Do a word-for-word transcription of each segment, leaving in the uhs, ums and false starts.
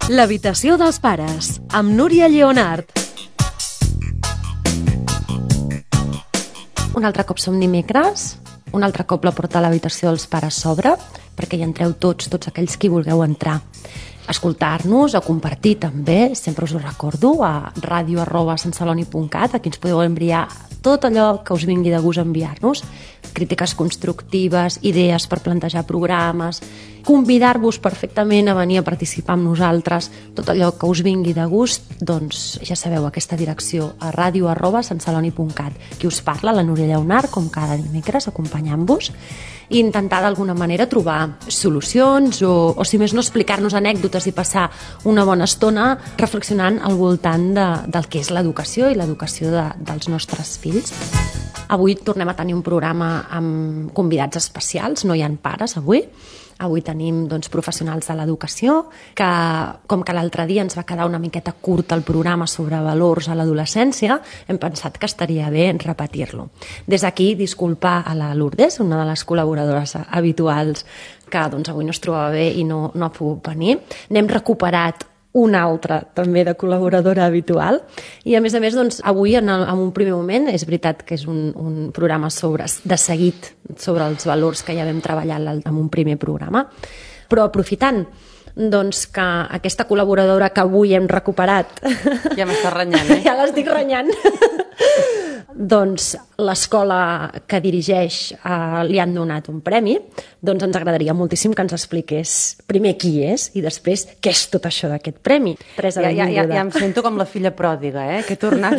L'habitació dels pares, amb Núria Lleonart. Un altre cop som dimecres, un altre cop la porta a l'habitació dels pares s'obre, perquè hi entreu tots, tots aquells qui vulgueu entrar. A escoltar-nos, a compartir també, sempre us ho recordo, a ràdio arroba santceloni punt cat, aquí ens podeu enviar tot allò que us vingui de gust enviar-nos, crítiques constructives, idees per plantejar programes, convidar-vos perfectament a venir a participar amb nosaltres, tot allò que us vingui de gust, doncs ja sabeu, aquesta direcció, a ràdio arroba santceloni punt cat. Qui us parla, la Núria Lleonart, com cada dimecres, acompanyant-vos, i intentar d'alguna manera trobar solucions o, o si més no, explicar-nos anècdotes i passar una bona estona reflexionant al voltant de, del que és l'educació i l'educació de, dels nostres fills. Avui tornem a tenir un programa amb convidats especials, no hi ha pares avui. Avui tenim doncs, professionals de l'educació, que com que l'altre dia ens va quedar una miqueta curt el programa sobre valors a l'adolescència, hem pensat que estaria bé repetir-lo. Des d'aquí, disculpar a la Lourdes, una de les col·laboradores habituals que doncs, avui no es trobava bé i no, no ha pogut venir. N'hem recuperat una altra també de col·laboradora habitual i a més a més doncs, avui en, el, en un primer moment és veritat que és un, un programa sobre, de seguit sobre els valors que ja vam treballar en un primer programa, però aprofitant doncs, que aquesta col·laboradora que avui hem recuperat ja m'està renyant, eh? ja l'estic renyant doncs l'escola que dirigeix eh, li han donat un premi, doncs ens agradaria moltíssim que ens expliqués primer qui és i després què és tot això d'aquest premi. Teresa, ja, ja, ja, ja em sento com la filla pròdiga, eh? Que he tornat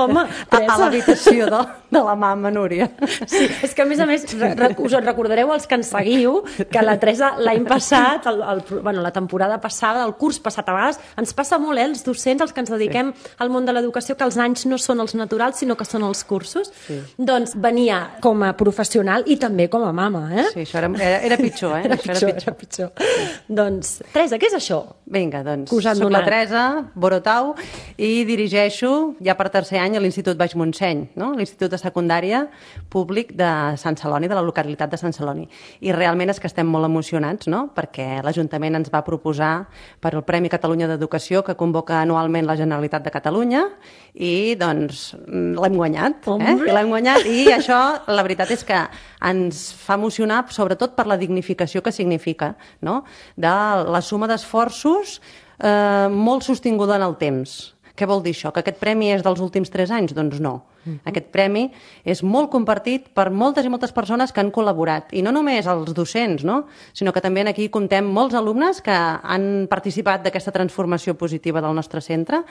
Home, a, a l'habitació de, de la mama Núria. Sí, és que a més a més us en recordareu els que ens seguiu que la Teresa l'any passat, el, el, bueno, la temporada passada, el curs passat a vegades, ens passa molt, eh, els docents, els que ens dediquem sí. al món de l'educació, que els anys no són els naturals, sinó que són els cursos, sí. doncs venia com a professional i també com a mama, eh? Sí, això era, era, era pitjor, eh? Era això pitjor, era pitjor. era pitjor. Sí. Doncs, Teresa, què és això? Vinga, doncs, soc la Teresa Borotau i dirigeixo ja per tercer any a l'Institut Baix Montseny, no? l'Institut de Secundària Públic de Sant Celoni, de la localitat de Sant Celoni. I realment és que estem molt emocionats, no? Perquè l'Ajuntament ens va proposar per al Premi Catalunya d'Educació que convoca anualment la Generalitat de Catalunya i doncs l'hem guanyat, eh? I l'hem guanyat i això la veritat és que ens fa emocionar sobretot per la dignificació que significa, no? De la suma d'esforços eh, molt sostinguda en el temps. Què vol dir això? Que aquest premi és dels últims tres anys? Doncs no. Uh-huh. Aquest premi és molt compartit per moltes i moltes persones que han col·laborat. I no només els docents, no? Sinó que també aquí comptem molts alumnes que han participat d'aquesta transformació positiva del nostre centre,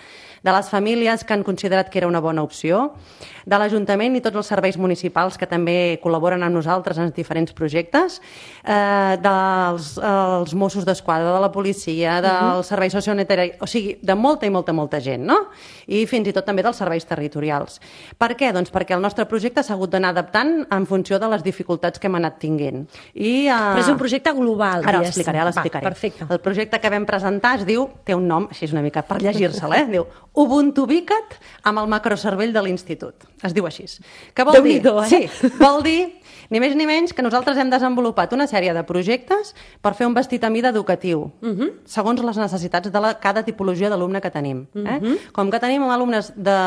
de les famílies que han considerat que era una bona opció, de l'Ajuntament i tots els serveis municipals que també col·laboren amb nosaltres en diferents projectes, eh, dels els Mossos d'Esquadra, de la policia, dels uh-huh. serveis sociosanitaris, o sigui, de molta i molta, molta gent, no? I fins i tot també dels serveis territorials. Per què? Doncs perquè el nostre projecte s'ha hagut d'anar adaptant en funció de les dificultats que hem anat tinguent. I, uh... Però és un projecte global. Ara l'explicaré, ara l'explicaré. Perfecte. El projecte que vam presentar es diu, té un nom, així és una mica per llegir-se'l, eh? Diu Ubuntu Ubica't amb el macrocervell de l'institut. Es diu així. Què vol dir? Eh? Sí, vol dir ni més ni menys que nosaltres hem desenvolupat una sèrie de projectes per fer un vestit a mida educatiu, uh-huh. segons les necessitats de la, cada tipologia d'alumne que tenim. Eh? Uh-huh. Com que tenim alumnes de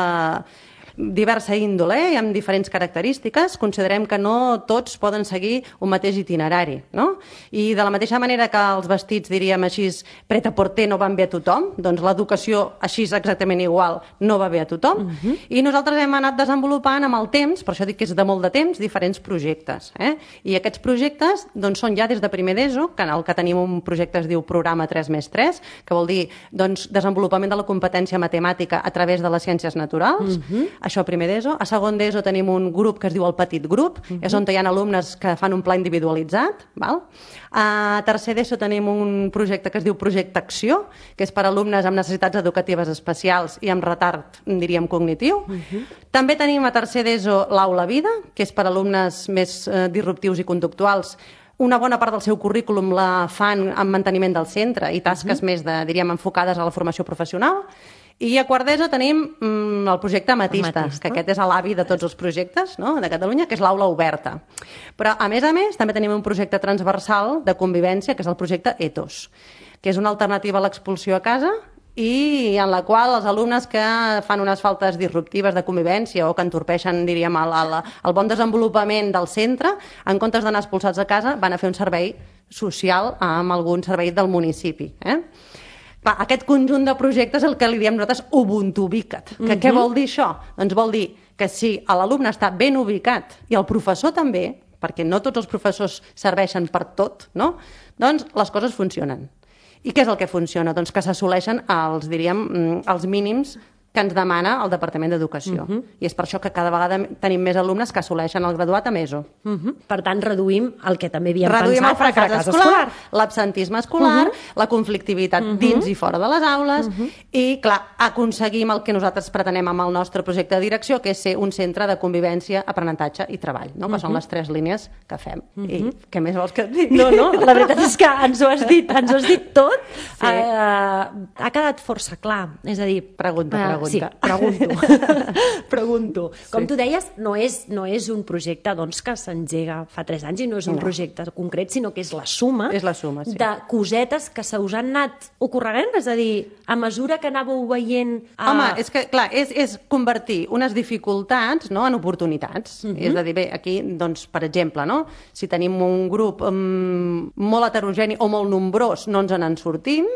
diversa índole i amb diferents característiques, considerem que no tots poden seguir un mateix itinerari, no? I de la mateixa manera que els vestits, diríem així, pret-a-porter no van bé a tothom, doncs l'educació així exactament igual no va bé a tothom, uh-huh. i nosaltres hem anat desenvolupant amb el temps, per això dic que és de molt de temps, diferents projectes. Eh? I aquests projectes doncs, són ja des de primer d'ESO, que en el que tenim un projecte es diu Programa tres més tres, que vol dir doncs, desenvolupament de la competència matemàtica a través de les ciències naturals, uh-huh. això a primer d'ESO. A segon d'ESO tenim un grup que es diu el Petit Grup, uh-huh. és on hi ha alumnes que fan un pla individualitzat. Val? A tercer d'ESO tenim un projecte que es diu Projecte Acció, que és per alumnes amb necessitats educatives especials i amb retard, diríem, cognitiu. Uh-huh. També tenim a tercer d'ESO l'Aula Vida, que és per alumnes més eh, disruptius i conductuals. Una bona part del seu currículum la fan en manteniment del centre i tasques uh-huh. més, de, diríem, enfocades a la formació professional. I a quart d'ESO tenim mm, el projecte Ametista, Ametista, que aquest és l'avi de tots els projectes, no?, de Catalunya, que és l'aula oberta. Però, a més a més, també tenim un projecte transversal de convivència, que és el projecte Ethos. que és una alternativa a l'expulsió a casa i en la qual els alumnes que fan unes faltes disruptives de convivència o que entorpeixen, diríem, el, el, el bon desenvolupament del centre, en comptes d'anar expulsats a casa, van a fer un servei social amb algun servei del municipi. Eh? Clar, aquest conjunt de projectes és el que li diem nosaltres Ubuntu ubicat. Que, uh-huh. Què vol dir això? Doncs vol dir que si l'alumne està ben ubicat i el professor també, perquè no tots els professors serveixen per tot, no? Doncs les coses funcionen. I què és el que funciona? Doncs que s'assoleixen els, diríem, els mínims que ens demana el Departament d'Educació. Uh-huh. I és per això que cada vegada tenim més alumnes que assoleixen el graduat a ESO. Uh-huh. Per tant, reduïm el que també havíem reduïm pensat, el fracàs, el fracàs escolar, escolar. l'absentisme escolar, uh-huh. la conflictivitat uh-huh. dins i fora de les aules, uh-huh. i, clar, aconseguim el que nosaltres pretenem amb el nostre projecte de direcció, que és ser un centre de convivència, aprenentatge i treball, no? Que uh-huh. són les tres línies que fem. Uh-huh. I què més vols que et digui? No, no, la veritat és que ens ho has dit, ens ho has dit tot. Sí. Uh, ha quedat força clar. És a dir... Pregunta, pregunta. Uh, sí, pregunto. Pregunto. Com sí. tu deies, no és, no és un projecte doncs, que s'engega fa tres anys i no és un no. projecte concret, sinó que és la suma, és la suma sí. de cosetes que se us han anat ocorregant, és a dir, a mesura que anàveu veient... A... Home, és que, clar, és, és convertir unes dificultats, no?, en oportunitats. Uh-huh. És a dir, bé, aquí, doncs, per exemple, no?, si tenim un grup um, molt heterogeni o molt nombrós, no ens en sortim,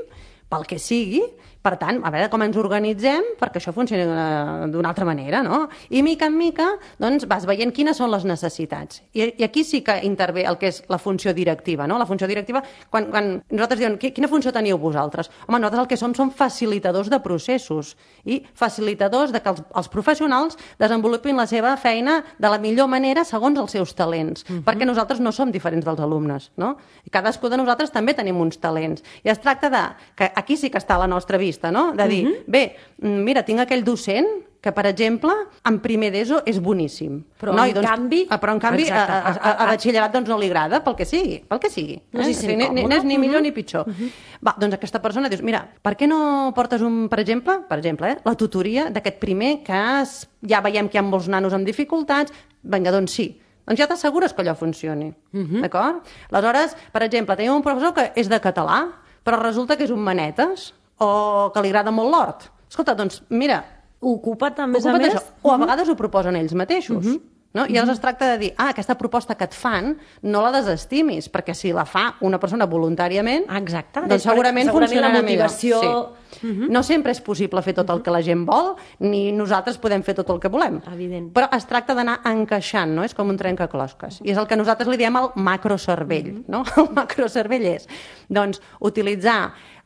pel que sigui. Per tant, a veure com ens organitzem perquè això funcioni d'una altra manera, no? I mica en mica, doncs, vas veient quines són les necessitats. I, i aquí sí que intervé el que és la funció directiva, no? La funció directiva, quan, quan nosaltres diem, quina funció teniu vosaltres? Home, nosaltres el que som són facilitadors de processos i facilitadors de que els, els professionals desenvolupin la seva feina de la millor manera segons els seus talents, uh-huh. perquè nosaltres no som diferents dels alumnes, no? I cadascú de nosaltres també tenim uns talents. I es tracta de, que aquí sí que està la nostra vista, no? De dir, uh-huh. bé, mira, tinc aquell docent que, per exemple, en primer d'ESO és boníssim. Però, no? en, I, doncs, canvi... però en canvi... Exacte. A, a, a, a batxillerat doncs, no li agrada, pel que sigui, pel que sigui. No, eh? sí, sí, o sigui, ni, no és ni millor uh-huh. ni pitjor. Uh-huh. Va, doncs aquesta persona dius, mira, per què no portes, un, per exemple, per exemple, eh, la tutoria d'aquest primer que es, ja veiem que hi ha molts nanos amb dificultats, vinga, doncs sí. Doncs ja t'assegures que allò funcioni, uh-huh. d'acord? Aleshores, per exemple, tenim un professor que és de català, però resulta que és un manetes, o que li agrada molt l'hort. Escolta, doncs, mira... Ocupa't, a més a més... més... O a vegades ho proposen ells mateixos. Uh-huh. No? I llavors es tracta de dir, ah, aquesta proposta que et fan no la desestimis, perquè si la fa una persona voluntàriament, exacte, doncs segurament, segurament funcionarà la motivació... millor. Sí. Uh-huh. No sempre és possible fer tot el que la gent vol, ni nosaltres podem fer tot el que volem. Evident. Però es tracta d'anar encaixant, no? És com un trencaclosques. I és el que nosaltres li diem el macrocervell. Uh-huh. No? El macrocervell és, doncs, utilitzar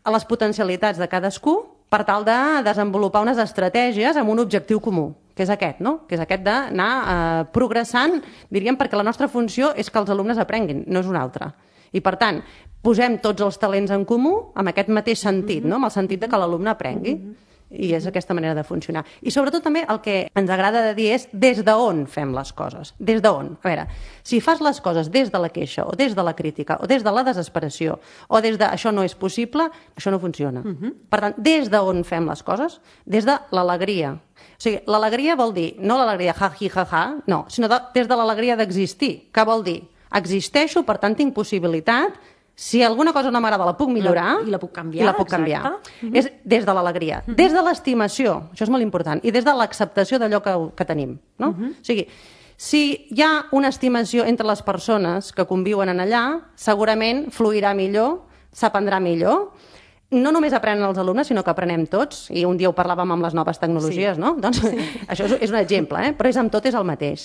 les potencialitats de cadascú per tal de desenvolupar unes estratègies amb un objectiu comú, que és aquest, no? Que és aquest d'anar eh, progressant, diríem, perquè la nostra funció és que els alumnes aprenguin, no és una altra. I, per tant, posem tots els talents en comú amb aquest mateix sentit, no? Amb el sentit de que l'alumne aprengui. I és aquesta manera de funcionar. I sobretot també el que ens agrada de dir és des d'on fem les coses. Des d'on? A veure, si fas les coses des de la queixa, o des de la crítica, o des de la desesperació, o des de això no és possible, això no funciona. Uh-huh. Per tant, des d'on fem les coses? Des de l'alegria. O sigui, l'alegria vol dir, no l'alegria ha-hi, ha-ha, no, sinó de, des de l'alegria d'existir. Què vol dir? Existeixo, per tant tinc possibilitat. Si alguna cosa no m'agrada la puc millorar... I la puc canviar. I la puc canviar. Uh-huh. És des de l'alegria, uh-huh. des de l'estimació, això és molt important, i des de l'acceptació d'allò que, que tenim. No? Uh-huh. O sigui, si hi ha una estimació entre les persones que conviuen en allà, segurament fluirà millor, s'aprendrà millor. No només aprenen els alumnes, sinó que aprenem tots, i un dia ho parlàvem amb les noves tecnologies, sí. no? Doncs sí. Això és, és un exemple, eh? Però és amb tot és el mateix.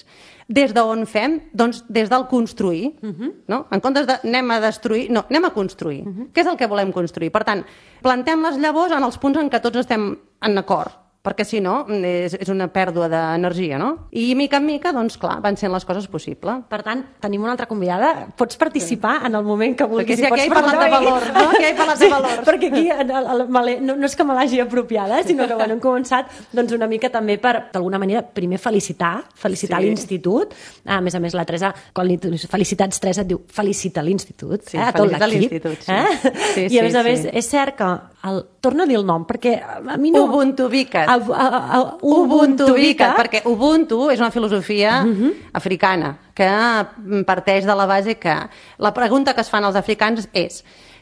Des d'on fem? Doncs des del construir, uh-huh. no? En comptes de anem a destruir, no, anem a construir. Uh-huh. Què és el que volem construir? Per tant, plantem les llavors en els punts en què tots estem en acord, perquè si no és, és una pèrdua d'energia, no? I mica en mica, doncs clar, van sent les coses possibles. Per tant, tenim una altra convidada, pots participar sí. en el moment que vulguis. Perquè si aquí he parlat de valor, no? Aquí he parlat de valor. Sí, perquè aquí el, el, el, no, no és que me l'hagi apropiada, sinó que bueno, hem començat doncs, una mica també per, d'alguna manera, primer felicitar, felicitar sí. l'institut. A més a més, la Teresa, quan li felicitats, Teresa, et diu felicita l'institut. Sí, eh, felicita l'institut. Sí. Eh? Sí, I a més a més, sí. és cert que el... Torna a dir el nom, perquè a mi no... Ubuntu Vicat. A, a, a, Ubuntu Vicat, perquè Ubuntu és una filosofia uh-huh. africana que parteix de la base que la pregunta que es fan els africans és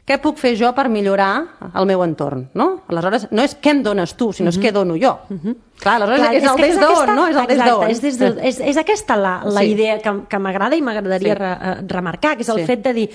què puc fer jo per millorar el meu entorn, no? Aleshores, no és què em dones tu, sinó uh-huh. és què dono jo. Uh-huh. Clar, aleshores Clar, és, és el des d'on, no? És el des d'on. És, des de, és, és aquesta la, la sí. idea que, que m'agrada i m'agradaria sí. re, remarcar, que és el sí. fet de dir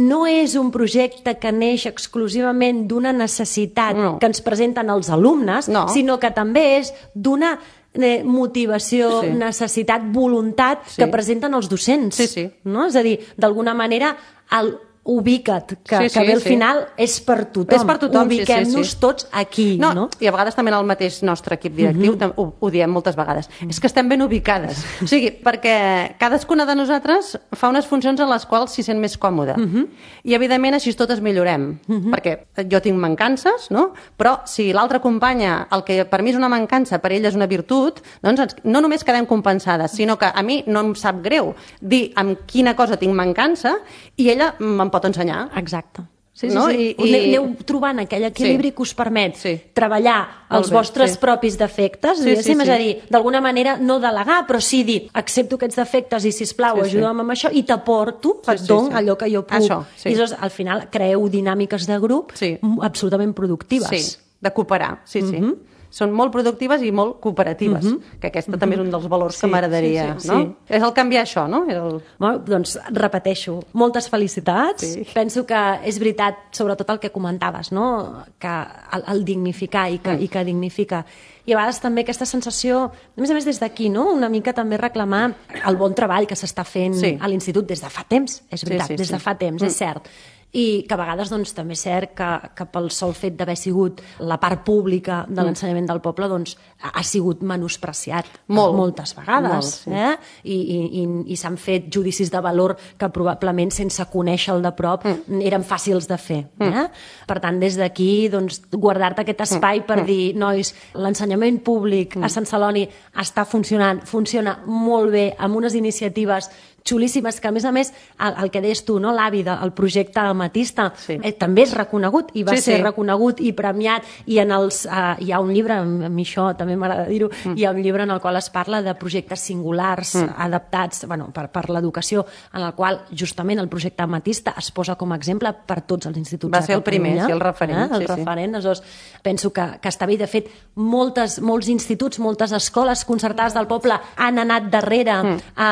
no és un projecte que neix exclusivament d'una necessitat no. que ens presenten els alumnes, no. sinó que també és d'una eh, motivació, sí. necessitat, voluntat sí. que presenten els docents. Sí, sí. No? És a dir, d'alguna manera, el ubica't, que, sí, sí, que bé al sí. final és per tothom. És per tothom, Ubiquem-nos sí, sí, sí. tots aquí. No, no? I a vegades també en el mateix nostre equip directiu uh-huh. ho, ho diem moltes vegades. Uh-huh. És que estem ben ubicades. O sigui, perquè cadascuna de nosaltres fa unes funcions en les quals s'hi sent més còmode. Uh-huh. I, evidentment, així totes millorem. Uh-huh. Perquè jo tinc mancances, no? Però si l'altra companya, el que per mi és una mancança, per ell és una virtut, doncs no només quedem compensades, sinó que a mi no em sap greu dir amb quina cosa tinc mancança i ella me'n pot ensenyar. Exacte. Sí, sí, no? sí. I, i... Aneu trobant aquell equilibri sí. que us permet sí. treballar els bé, vostres sí. propis defectes, sí, sí, sí. és a dir, d'alguna manera no delegar, però sí dir, accepto aquests defectes i, sisplau, sí, ajuda'm sí. amb això i t'aporto, sí, et dono sí, sí. allò que jo puc. Això, sí. I llavors, al final, creeu dinàmiques de grup sí. absolutament productives. Sí, de cooperar, sí, sí. Mm-hmm. Són molt productives i molt cooperatives, uh-huh. que aquesta uh-huh. també és un dels valors sí, que m'agradaria. Sí, sí, no? sí. És el canviar això, no? El... Bueno, doncs repeteixo, moltes felicitats. Sí. Penso que és veritat, sobretot el que comentaves, no? Que el, el dignificar i que, mm. i que dignifica. I a vegades també aquesta sensació, a més a més des d'aquí, no? Una mica també reclamar el bon treball que s'està fent sí. a l'institut des de fa temps, és veritat, sí, sí, des de fa temps, mm. és cert. I que a vegades doncs, també és cert que, que pel sol fet d'haver sigut la part pública de l'ensenyament del poble doncs, ha sigut menospreciat Molt. moltes vegades. Molt, sí. eh? I, i, i, i s'han fet judicis de valor que probablement sense conèixer el de prop mm. eren fàcils de fer. Eh? Mm. Per tant, des d'aquí doncs, guardar-te aquest espai mm. per dir, nois, l'ensenyament públic mm. a Sant Celoni està funcionant, funciona molt bé, amb unes iniciatives xulíssimes, que a més a més el, el que deies tu, no? L'avi del projecte Amatista sí. eh, també és reconegut i va sí, ser sí. reconegut i premiat i en els, eh, hi ha un llibre, a mi això també m'agrada dir-ho, mm. hi ha un llibre en el qual es parla de projectes singulars mm. adaptats bueno, per, per l'educació, en el qual justament el projecte Amatista es posa com a exemple per tots els instituts va de Catalunya. Va ser el primer, sí, el referent. Eh? El sí, referent, sí. Aleshores, penso que, que està bé. De fet, moltes, molts instituts, moltes escoles concertades del poble han anat darrere mm. a,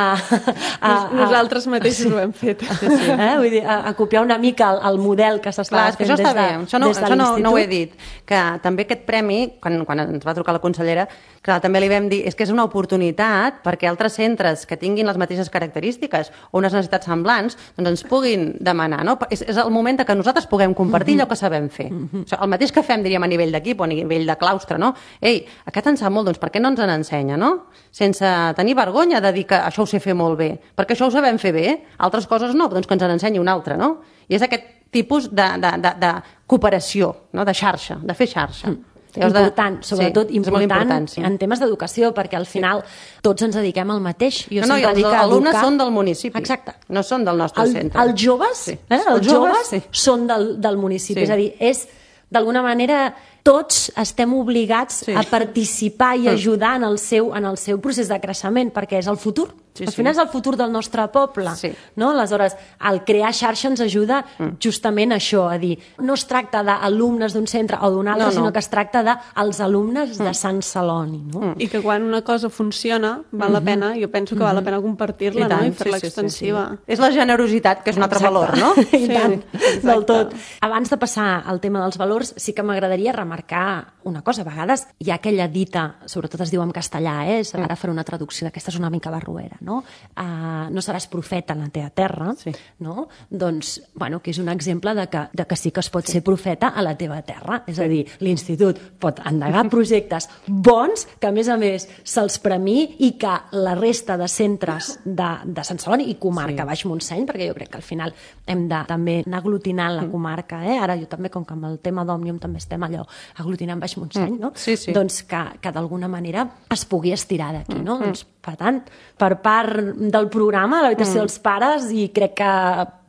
a nosaltres mateixos ho hem fet. Sí, sí. Eh? Vull dir, a, a copiar una mica el, el model que s'està fent això des de, això no, des de això no, l'institut. no ho he dit, que també aquest premi, quan, quan ens va trucar la consellera, clar, també li vam dir, és que és una oportunitat perquè altres centres que tinguin les mateixes característiques o unes necessitats semblants, doncs ens puguin demanar, no? És, és el moment que nosaltres puguem compartir mm-hmm. allò que sabem fer. Mm-hmm. O sigui, el mateix que fem, diríem, a nivell d'equip o a nivell de claustre, no? Ei, aquest en sap molt, doncs per què no ens n'ensenya, no? Sense tenir vergonya de dir que això ho sé fer molt bé, perquè això ho sabem fer bé, altres coses no, doncs que ens n'ensenyi un altre, no? I és aquest tipus de, de, de, de cooperació, no? De xarxa, de fer xarxa. Mm. Important, sobretot sí, important, important sí. en temes d'educació, perquè al final sí. tots ens dediquem al mateix. Jo no, no, i els alumnes educar... són del municipi, Exacte. no són del nostre el, centre. Els joves, sí. eh? els, els joves, joves sí. són del, del municipi, sí. és a dir, és d'alguna manera tots estem obligats sí. a participar i ajudar en el, seu, en el seu procés de creixement, perquè és el futur. Sí, Al final sí. és el futur del nostre poble. Sí. No? Aleshores, el crear xarxa ens ajuda mm. justament a això, a dir, no es tracta d'alumnes d'un centre o d'un altre, no, no. sinó que es tracta dels alumnes mm. de Sant Celoni. No? Mm. I que quan una cosa funciona, val mm-hmm. la pena, jo penso que mm-hmm. val la pena compartir-la I, no? I fer-la sí, extensiva. Sí, sí, sí. És la generositat, que és un altre Exacte. valor, no? I sí, tant, exacte. del tot. Abans de passar al tema dels valors, sí que m'agradaria remarcar una cosa. A vegades hi ha aquella dita, sobretot es diu en castellà, eh? ara faré una traducció d'aquesta, és una mica barruera, no? Uh, no seràs profeta en la teva terra, sí. no? Doncs, bueno, que és un exemple de que, de que sí que es pot sí. ser profeta a la teva terra. És sí. a dir, l'institut pot endegar projectes bons, que a més a més se'ls premiï i que la resta de centres de, de Sant Celoni i comarca sí. Baix Montseny, perquè jo crec que al final hem de també anar aglutinant la comarca, eh? Ara jo també, com que amb el tema d'Òmnium també estem allò aglutinant Baix Montseny, no? Sí, sí. Doncs que, que d'alguna manera es pugui estirar d'aquí, no? Mm. Doncs, per tant, per part del programa, de l'habitació mm. dels pares, i crec que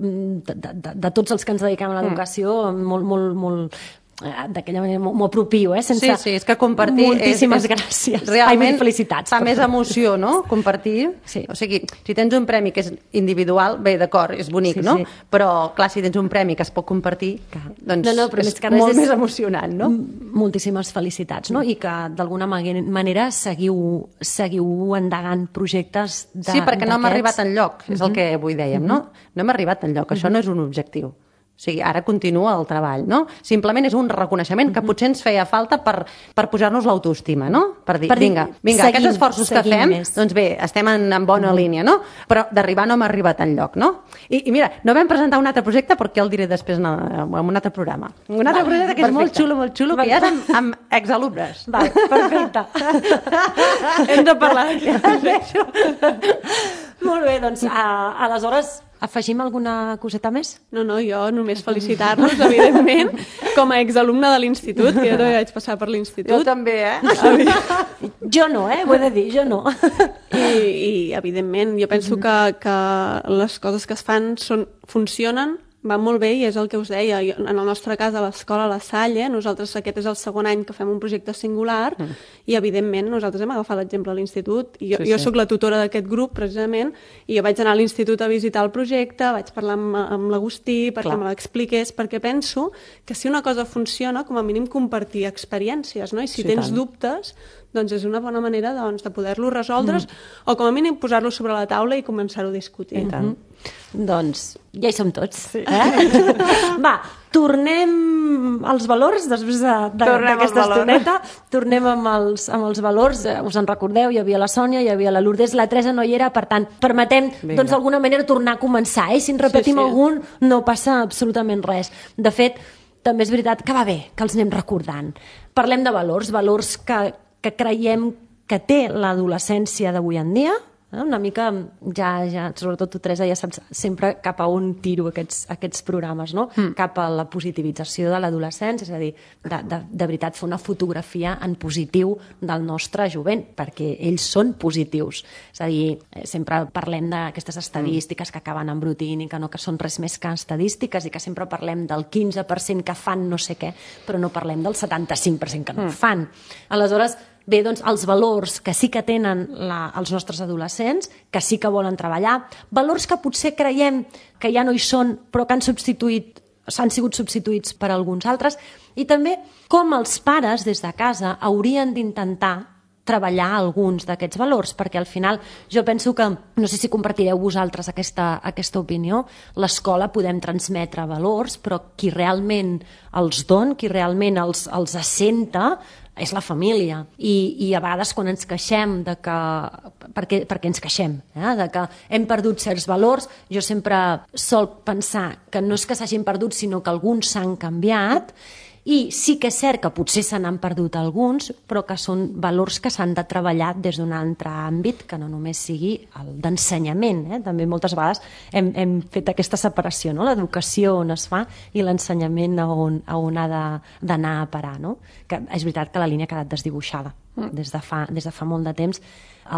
de, de, de tots els que ens dediquem a l'educació, mm. molt, molt, molt, d'aquella manera m'ho apropio, eh? Sense... Sí, sí, és que compartir... Moltíssimes és, és, gràcies. Realment Ai, felicitats. fa més emoció, no?, compartir. Sí. O sigui, si tens un premi que és individual, bé, d'acord, és bonic, sí, no? Sí. Però, clar, si tens un premi que es pot compartir, doncs no, no, però és més que res molt és... més emocionant, no? Moltíssimes felicitats, no? I que d'alguna manera seguiu, seguiu endegant projectes de, sí, perquè no hem d'aquests. arribat enlloc, és el que avui dèiem, no? No hem arribat enlloc, això no és un objectiu. O sigui, ara continua el treball, no? Simplement és un reconeixement que potser ens feia falta per, per pujar-nos l'autoestima, no? Per dir, per dir vinga, vinga seguim, aquests esforços que fem, més. Doncs bé, estem en, en bona mm. línia, no? Però d'arribar no hem arribat enlloc, no? I, I mira, no vam presentar un altre projecte perquè el diré després en, en un altre programa. Un altre vale, projecte que és perfecte. Molt xulo, molt xulo, que ja és amb, amb exalumnes. Vale, perfecte. Hem de parlar d'això. Molt bé, doncs, a, aleshores... Afegim alguna coseta més? No, no, jo només felicitar-los, evidentment, com a exalumne de l'institut, que jo també vaig passar per l'institut. Jo també, eh? Jo no, eh? Ho he de dir, jo no. I, i evidentment, jo penso que, que les coses que es fan són, funcionen, van molt bé i és el que us deia. En el nostre cas, a l'escola La Salle, nosaltres aquest és el segon any que fem un projecte singular mm. i, evidentment, nosaltres hem agafat l'exemple a l'institut. Jo, sí, jo sí. soc la tutora d'aquest grup, precisament, i jo vaig anar a l'institut a visitar el projecte, vaig parlar amb, amb l'Agustí perquè Clar. me l'expliqués, perquè penso que si una cosa funciona, com a mínim compartir experiències, no? I si sí, tens tant. dubtes, doncs és una bona manera doncs, de poder-lo resoldre mm. o com a mínim posar-lo sobre la taula i començar-ho a discutir. I tant. Mm-hmm. Doncs ja hi som tots. Sí. Eh? Va, tornem als valors després d'aquesta estoneta. Tornem amb els, amb els valors. Us en recordeu, hi havia la Sònia, hi havia la Lourdes, la Teresa no hi era, per tant, permetem doncs, d'alguna manera tornar a començar. Eh? Si en repetim sí, sí. algun, no passa absolutament res. De fet, també és veritat que va bé que els anem recordant. Parlem de valors, valors que, que creiem que té l'adolescència d'avui en dia. Una mica, ja, ja, sobretot tu, Teresa, ja saps sempre cap a on tiro aquests, aquests programes, no? Mm. Cap a la positivització de l'adolescència, és a dir, de, de, de veritat fer una fotografia en positiu del nostre jovent, perquè ells són positius. És a dir, sempre parlem d'aquestes estadístiques que acaben embrutint i que no que són res més que estadístiques i que sempre parlem del quinze per cent que fan no sé què, però no parlem del setanta-cinc per cent que no mm. fan. Aleshores, bé, doncs, els valors que sí que tenen la, els nostres adolescents, que sí que volen treballar, valors que potser creiem que ja no hi són, però que han substituït, s'han sigut substituïts per alguns altres, i també com els pares, des de casa, haurien d'intentar treballar alguns d'aquests valors, perquè al final jo penso que, no sé si compartireu vosaltres aquesta, aquesta opinió, l'escola podem transmetre valors, però qui realment els don, qui realment els, els assenta, és la família. I, i a vegades quan ens queixem de que... Perquè, perquè ens queixem, eh? De que hem perdut certs valors, jo sempre sol pensar que no és que s'hagin perdut, sinó que alguns s'han canviat, i sí que és cert que potser se n'han perdut alguns, però que són valors que s'han de treballar des d'un altre àmbit, que no només sigui el d'ensenyament. Eh? També moltes vegades hem, hem fet aquesta separació, no? L'educació on es fa i l'ensenyament a on, a on ha d'anar a parar. No? Que és veritat que la línia ha quedat desdibuixada mm. des, de fa, des de fa molt de temps.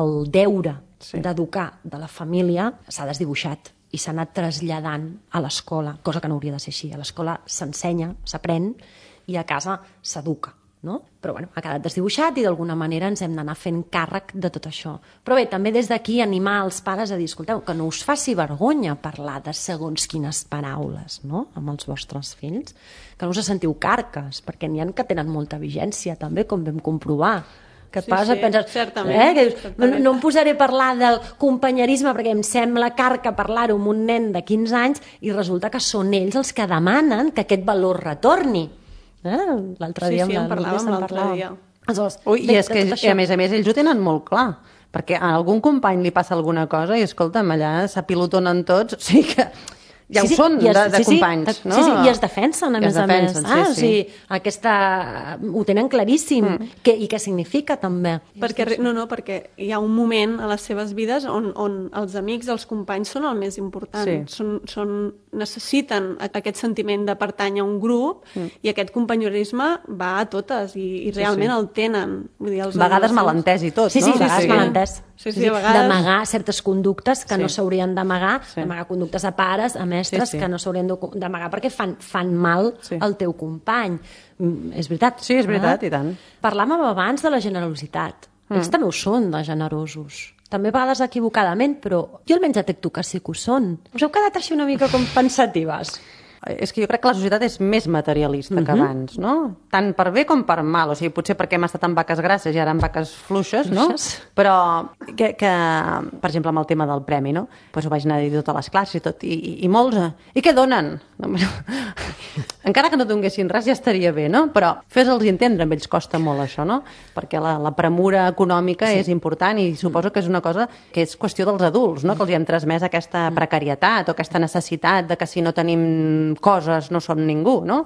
El deure sí. d'educar de la família s'ha desdibuixat i s'ha anat traslladant a l'escola, cosa que no hauria de ser així. A l'escola s'ensenya, s'aprèn, i a casa s'educa, no? Però bueno, ha quedat desdibuixat i d'alguna manera ens hem d'anar fent càrrec de tot això. Però bé, també des d'aquí animar els pares a dir, escolteu, que no us faci vergonya parlar de segons quines paraules, no?, amb els vostres fills, que no us sentiu carques, perquè n'hi ha que tenen molta vigència també, com vam comprovar. Que et sí, passa, sí, penses, certament, eh, que dius, certament. No em posaré a parlar del companyerisme perquè em sembla carca parlar-ho amb un nen de quinze anys i resulta que són ells els que demanen que aquest valor retorni. Eh? L'altre sí, dia sí, en parlàvem l'altre dia. Aleshores, Ui, i és que, a més a més, ells ho tenen molt clar, perquè a algun company li passa alguna cosa i, escolta'm, allà s'apilotonen tots, o sigui que ja sí, sí, ho són es, de, de sí, companys, sí, no? Sí, sí, i es defensen, a I més a més. defensen, Ah, sí, o sigui, aquesta... Ho tenen claríssim. Mm. Que, I què significa, també. Perquè, no, no, perquè hi ha un moment a les seves vides on, on els amics, els companys són el més important. Sí. Són, són, necessiten aquest sentiment de pertànyer a un grup mm. i aquest companyorisme va a totes i, i realment sí, sí. el tenen. Vull dir, els a vegades malentès i tot, sí, sí, no? Sí, sí, a vegades sí. malentès. Sí, sí, a vegades... D'amagar certes conductes que sí. no s'haurien d'amagar, sí. d'amagar conductes a pares, a més mestres sí, sí. que no s'haurien d'amagar perquè fan, fan mal Sí. al teu company. Mm, és veritat. Sí, és veritat, eh? i tant. Parlàvem abans de la generositat. Mm. Ells també ho són, de generosos. També a vegades equivocadament, però jo almenys detecto que sí que ho són. Us heu quedat així una mica com pensatives. És que jo crec que la societat és més materialista uh-huh. que abans, no? Tant per bé com per mal. O sigui, potser perquè hem estat en vaques grasses i ara en vaques fluixes, no? Fluixes. Però que, que, per exemple, amb el tema del premi, no? Pues ho vaig anar a dir totes les classes i tot, i, i, i molts... eh, I què donen? Encara que no donguessin res ja estaria bé, no? Però fes-los entendre, amb ells costa molt això, no? Perquè la, la premura econòmica sí. és important i suposo que és una cosa que és qüestió dels adults, no? Que els hi hem transmès aquesta precarietat o aquesta necessitat de que si no tenim coses no som ningú, no?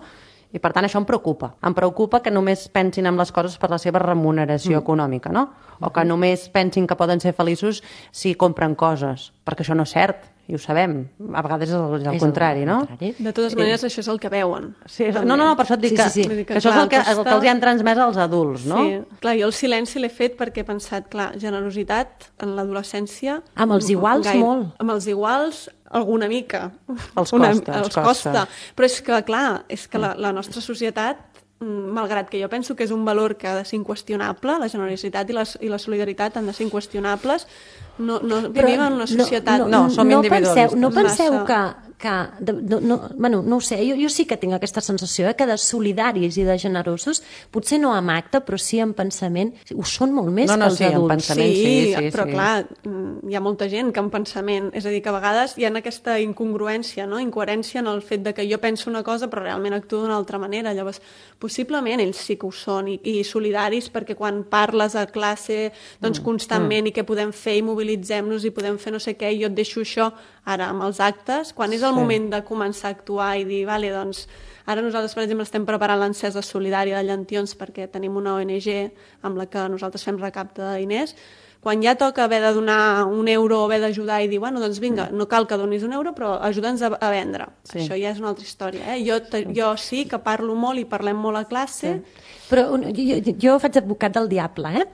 I per tant això em preocupa. Em preocupa que només pensin en les coses per la seva remuneració mm. econòmica, no? O que només pensin que poden ser feliços si compren coses, perquè això no és cert, i ho sabem. A vegades és el, és el És contrari, el no? contrari. De totes maneres, això és el que veuen. Sí, és... No, no, no, per això et dic Sí, que, sí, sí. que, Que, que això és el que, clar, el que els hi han transmès als adults, no? Sí, clar, jo el silenci l'he fet perquè he pensat, clar, generositat en l'adolescència... Amb els iguals, molt. Amb els iguals, alguna mica. Els Una, costa, els els costa. costa. Però és que, clar, és que la, la nostra societat, mm, malgrat que jo penso que és un valor que ha de ser inqüestionable, la generositat i la, i la solidaritat han de ser inqüestionables, no, no vivim en una societat... No, no, No, som no individualistes. penseu, no penseu Massa. que, que de, no, no, bueno, no ho sé, jo, jo sí que tinc aquesta sensació eh, que de solidaris i de generosos, potser no amb acte, però sí en pensament, ho són molt més No, no, que els sí, en adults. pensament. sí, sí, però sí. clar, mm, hi ha molta gent que en pensament, és a dir, que a vegades hi ha aquesta incongruència, no? Incoherència en el fet de que jo penso una cosa però realment actuo d'una altra manera. Llavors, possiblement ells sí que ho són i, i solidaris perquè quan parles a classe doncs constantment mm. i què podem fer i mobilitzem-nos i podem fer no sé què i jo et deixo això ara amb els actes, quan és el Sí. moment de començar a actuar i dir, vale, doncs ara nosaltres, per exemple, estem preparant l'encesa solidària de Llantions perquè tenim una O N G amb la que nosaltres fem recapte de diners. Quan ja toca haver de donar un euro o haver d'ajudar i dir, bueno, doncs vinga, no cal que donis un euro, però ajuda'ns a, a vendre. Sí. Això ja és una altra història. Eh? Jo, te, jo sí que parlo molt i parlem molt a classe. Sí. Però un- jo, jo, jo faig advocat del diable, eh?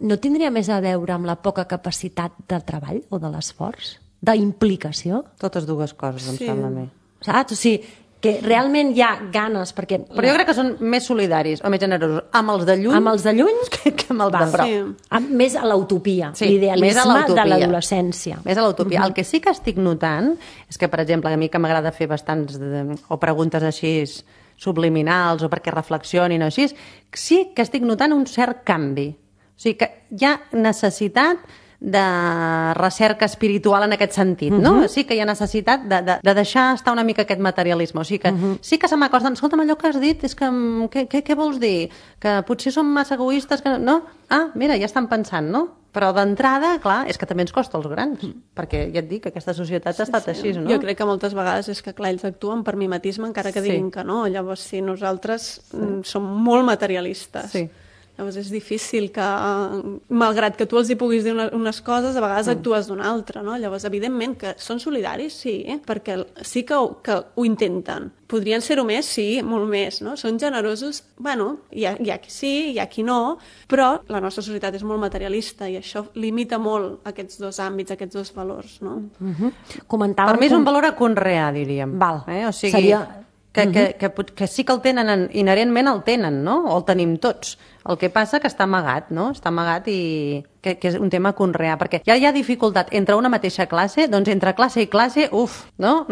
No tindria més a veure amb la poca capacitat de treball o de l'esforç? D'implicació? Totes dues coses, em Sí. sembla a mi. Saps? O sigui, que realment hi ha ganes, perquè... Però jo crec que són més solidaris o més generosos amb els de lluny, Amb els de lluny, que, que amb els de Val. prop. Sí. amb, més a l'utopia, Sí, més a l'idealisme de l'utopia. l'adolescència. Més a l'utopia. El que sí que estic notant és que, per exemple, a mi que m'agrada fer bastants de, o preguntes així subliminals o perquè reflexionin o així, sí que estic notant un cert canvi. O sigui que hi ha necessitat de recerca espiritual en aquest sentit, no? Uh -huh. Sí que hi ha necessitat de, de, de deixar estar una mica aquest materialisme. O sigui que uh -huh. sí que se m'acosten, escolta'm, allò que has dit és que... Què, què, què vols dir? Que potser som massa egoistes, que no? Ah, mira, ja estan pensant, no? Però d'entrada, clar, és que també ens costa als grans, perquè ja et dic que aquesta societat ha estat així, no? Jo crec que moltes vegades és que, clar, ells actuen per mimetisme encara que Sí. diguin que no. Llavors, sí, nosaltres mm, som molt materialistes. Sí. Llavors és difícil que, eh, malgrat que tu els hi puguis dir una, unes coses, a vegades actues d'una altra, no? Llavors, evidentment, que són solidaris, sí, eh? Perquè sí que ho, que ho intenten. Podrien ser-ho més? Sí, molt més, no? Són generosos? Bueno, hi ha, hi ha qui sí, hi ha qui no, però la nostra societat és molt materialista i això limita molt aquests dos àmbits, aquests dos valors, no? Uh -huh. Comentàvem... Per mi és com- un valor a conrear, diríem. Val. Eh? O sigui, Seria- que, que, que, pot- que sí que el tenen, en- inherentment el tenen, no? O el tenim tots. El que passa que està amagat, no? Està amagat i que, que és un tema a conrear, perquè ja hi ha dificultat entre una mateixa classe, doncs entre classe i classe, uf, no?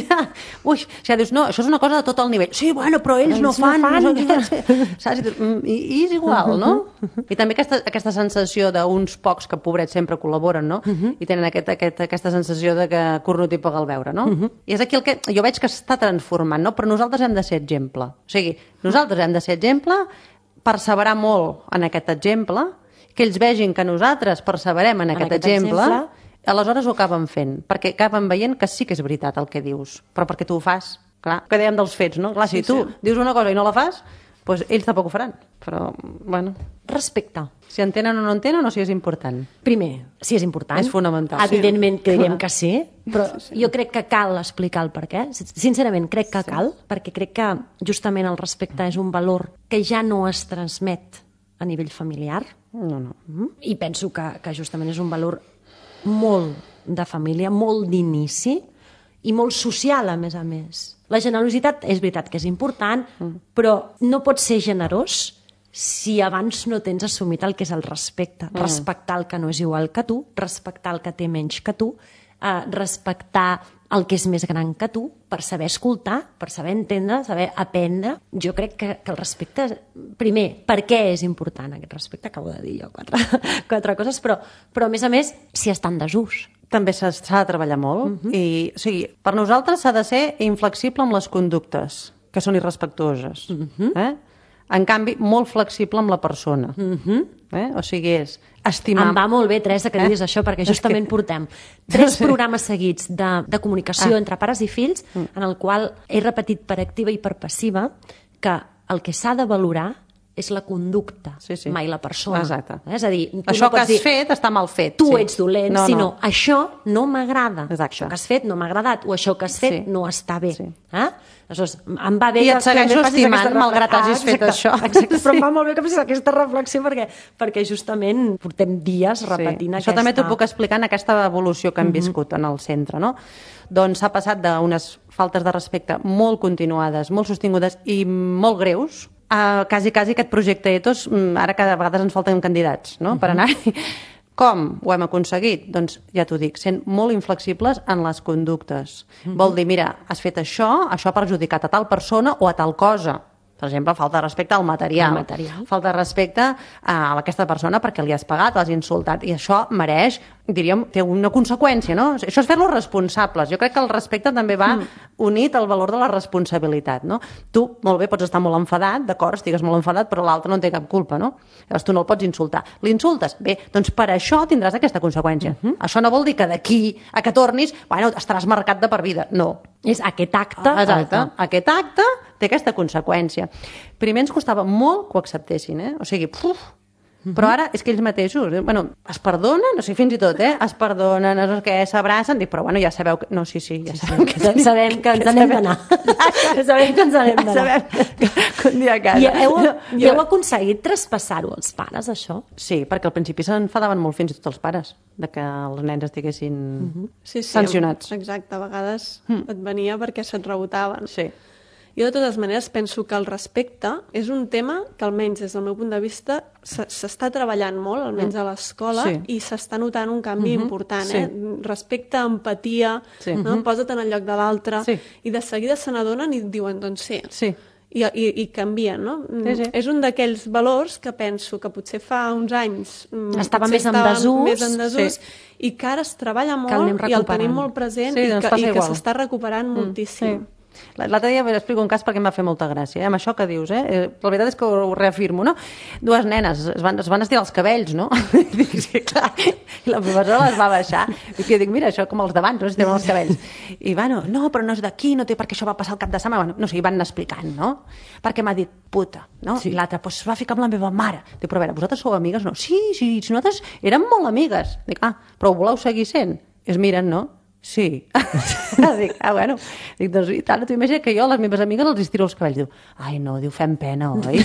ja, ui, ja dius, no, això és una cosa de tot el nivell. Sí, bueno, però ells, ells no fan, no fan. no sé què. Saps? I, dius, mm, i, I és igual, no? I també aquesta, aquesta sensació d'uns pocs que, pobrets, sempre col·laboren, no? I tenen aquest, aquest, aquesta sensació de que cornut i paga el beure, no? I és aquí el que jo veig que està transformant, no? Però nosaltres hem de ser exemple. O sigui, nosaltres hem de ser exemple, perseverar molt en aquest exemple, que ells vegin que nosaltres perseverem en, En aquest, aquest exemple, exemple, aleshores ho acaben fent, perquè acaben veient que sí que és veritat el que dius, però perquè tu ho fas. Clar, que dèiem dels fets, no? Clar, si Sí, tu sí. dius una cosa i no la fas, doncs ells tampoc ho faran. Però, bueno, Respecte. si entenen o no entenen o si és important. Primer, si és important. És fonamental. Evidentment que direm que sí, però jo crec que cal explicar el per què. Sincerament, crec que cal, perquè crec que justament el respecte és un valor que ja no es transmet a nivell familiar. No, no. Mm? I penso que, que justament és un valor molt de família, molt d'inici, i molt social, a més a més. La generositat és veritat que és important, però no pots ser generós si abans no tens assumit el que és el respecte. Mm. Respectar el que no és igual que tu, respectar el que té menys que tu, eh, respectar el que és més gran que tu, per saber escoltar, per saber entendre, saber aprendre. Jo crec que, que el respecte... Primer, per què és important aquest respecte? Acabo de dir jo quatre, quatre coses, però, però a més a més, si està en desús. També s'ha de treballar molt. Uh-huh. I, o sigui, per nosaltres s'ha de ser inflexible amb les conductes, que són irrespectuoses. Uh-huh. Eh? En canvi, molt flexible amb la persona. Uh-huh. Eh? O sigui, és estimar... Em va molt bé, Teresa, que diguis eh? això, perquè justament portem tres programes seguits de, de comunicació ah. entre pares i fills, en el qual he repetit per activa i per passiva que el que s'ha de valorar és la conducta, sí, sí. mai la persona. Exacte. És a dir, tu això no que has dir, fet està mal fet. Tu sí. ets dolent, no, sinó no. això no m'agrada. Això que has fet no m'ha agradat, o això que has fet sí. no està bé. Sí. Eh? Aleshores, em va bé I que, et segueixo estimant, malgrat ah, hagis fet això. Exacte, però sí. em va molt bé que facis aquesta reflexió perquè, perquè justament portem dies repetint sí. aquesta... Això també t'ho puc explicar en aquesta evolució que hem mm-hmm. viscut en el centre, no? Doncs s'ha passat d'unes faltes de respecte molt continuades, molt sostingudes i molt greus, a quasi, quasi aquest projecte Ethos, ara cada vegada ens falten candidats, no?, uh-huh. per anar-hi. Com ho hem aconseguit? Doncs ja t'ho dic, sent molt inflexibles en les conductes. Uh-huh. Vol dir, mira, has fet això, això ha perjudicat a tal persona o a tal cosa. Per exemple, falta de respecte al material. El material. Falta de respecte a aquesta persona perquè li has pagat, l'has insultat. I això mereix, diríem, té una conseqüència, no? Això és fer-los responsables. Jo crec que el respecte també va mm. unit al valor de la responsabilitat, no? Tu, molt bé, pots estar molt enfadat, d'acord, estigues molt enfadat, però l'altre no en té cap culpa, no? Llavors tu no el pots insultar. L'insultes? Bé, doncs per això tindràs aquesta conseqüència. Mm-hmm. Això no vol dir que d'aquí a que tornis, bueno, estaràs marcat de per vida. No. És aquest acte. Exacte. Aquest acte té aquesta conseqüència. Primer ens costava molt que ho acceptessin, eh? O sigui, puf, uh-huh. però ara és que ells mateixos, eh? bueno, es perdonen, o sigui, fins i tot, eh? Es perdonen, no sé què, s'abracen, dic, però bueno, ja sabeu que... No, sí, sí, ja sí, sabem sí. que... Ja sabem que ens n'hem d'anar. Sabem que ens n'hem d'anar. Sabem que un dia a casa. I heu, i heu aconseguit traspassar-ho als pares, això? Sí, perquè al principi s'enfadaven molt fins i tot els pares, de que els nens estiguessin uh-huh. sí, sí, sancionats. Exacte, a vegades mm. et venia perquè se't rebotaven. Sí. Jo, de totes maneres, penso que el respecte és un tema que, almenys des del meu punt de vista, s'està treballant molt, almenys a l'escola, sí. i s'està notant un canvi uh-huh. important. Sí. Eh? Respecte, empatia, sí. no? uh-huh. posa't en el lloc de l'altre, sí. i de seguida se n'adonen i diuen, doncs sí. sí. I, i, i canvien, no? Sí, sí. És un d'aquells valors que penso que potser fa uns anys estava més en desús, més en desús sí. i que ara es treballa molt i el tenim molt present sí, i doncs que, i que igual. s'està recuperant mm. moltíssim. Sí. L'altre dia explico un cas perquè em va fer molta gràcia, eh? Amb això que dius, eh? La veritat és que ho reafirmo, no? Dues nenes es van, es van estirar els cabells, no? Dic, sí, clar. I la professora les va baixar. I jo dic, mira, això com els d'abans, no? Es estiren els cabells. I bueno, no, però no és d'aquí, no té perquè això va passar el cap de setmana. Bueno, no sé, i van explicant, no? Perquè m'ha dit, puta, no? Sí. I l'altra, doncs es va ficar amb la meva mare. Dic, però a veure, vosaltres sou amigues? No. Sí, sí, nosaltres érem molt amigues. Dic, ah, però ho voleu seguir sent? I es miren, no? Sí. Dic, ah, bueno. Dic, doncs, i tant, tu imagina que jo a les meves amigues els estiro els cabells. Diu, ai, no, diu, fem pena, oi?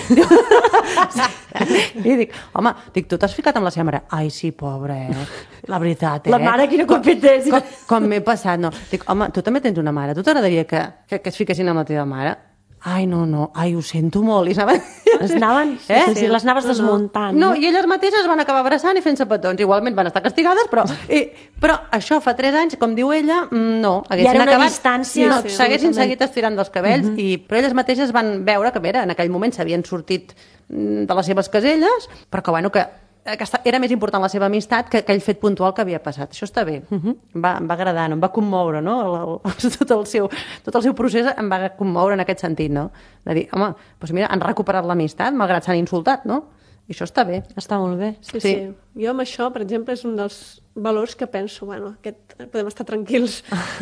I dic, home, dic, tu t'has ficat amb la seva mare? Ai, sí, pobra, eh? La veritat, eh? La mare, quina culpita és? Com, com m'he passat, no. Dic, home, tu també tens una mare. Tu t'agradaria que, que, que es fiquessin amb la teva mare? Ai, no, no, ai, ho sento molt. I anaven... Les anaven, eh? sí, sí, les anaves desmuntant. No, no, i elles mateixes van acabar abraçant i fent-se petons. Igualment van estar castigades, però... I, però això fa tres anys, com diu ella, no. I era una acabat, distància... No, sí, s'haguessin seguit estirant dels cabells, uh-huh. i, però elles mateixes van veure que, mira, en aquell moment s'havien sortit de les seves caselles, però que, bueno, que aquesta, era més important la seva amistat que aquell fet puntual que havia passat. Això està bé. Uh-huh. em, va, em va agradar, no? Em va commoure, no? El, el, tot, el seu, tot el seu procés em va commoure en aquest sentit, no? De dir, home, doncs mira, han recuperat l'amistat, malgrat s'han insultat, no? I això està bé. Està molt bé. Sí, sí, sí. Jo amb això, per exemple, és un dels valors que penso, bueno, aquest, podem estar tranquils.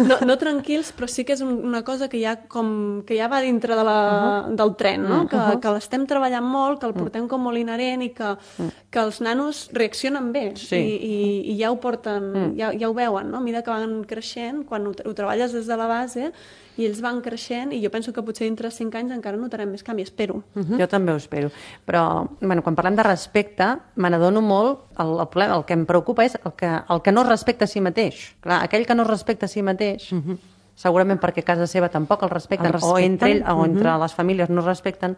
No, no tranquils, però sí que és una cosa que ja, com, que ja va dintre de la, uh-huh. del tren, no? Que, uh-huh. que l'estem treballant molt, que el portem com molt inherent i que, uh-huh. que els nanos reaccionen bé sí. i, i, i ja ho porten, uh-huh. ja, ja ho veuen, no? A mesura que van creixent, quan ho, ho treballes des de la base i ells van creixent, i jo penso que potser dintre de cinc anys encara notarem més canvi, espero. Uh-huh. Jo també ho espero. Però, bueno, quan parlem de respecte, me n'adono molt, el, el, problema, el que em preocupa és el que, el que no es respecta a si mateix. Clar, aquell que no es respecta a si mateix, uh-huh. segurament perquè a casa seva tampoc el respecten, El respecten. o entre ell o entre Mhm. les famílies no es respecten,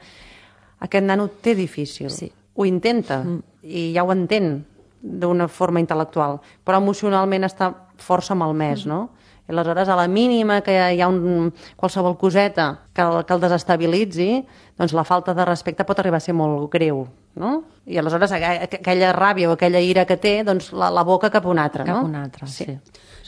aquest nano té difícil. Sí. Ho intenta i ja ho entén d'una forma intel·lectual, però emocionalment està força malmès, no? I aleshores, a la mínima que hi ha un, qualsevol coseta que el, que el desestabilitzi, doncs la falta de respecte pot arribar a ser molt greu, no? I aleshores aqu- aquella ràbia o aquella ira que té, doncs la, la boca cap a un altre, no? Cap a un altre, sí. sí.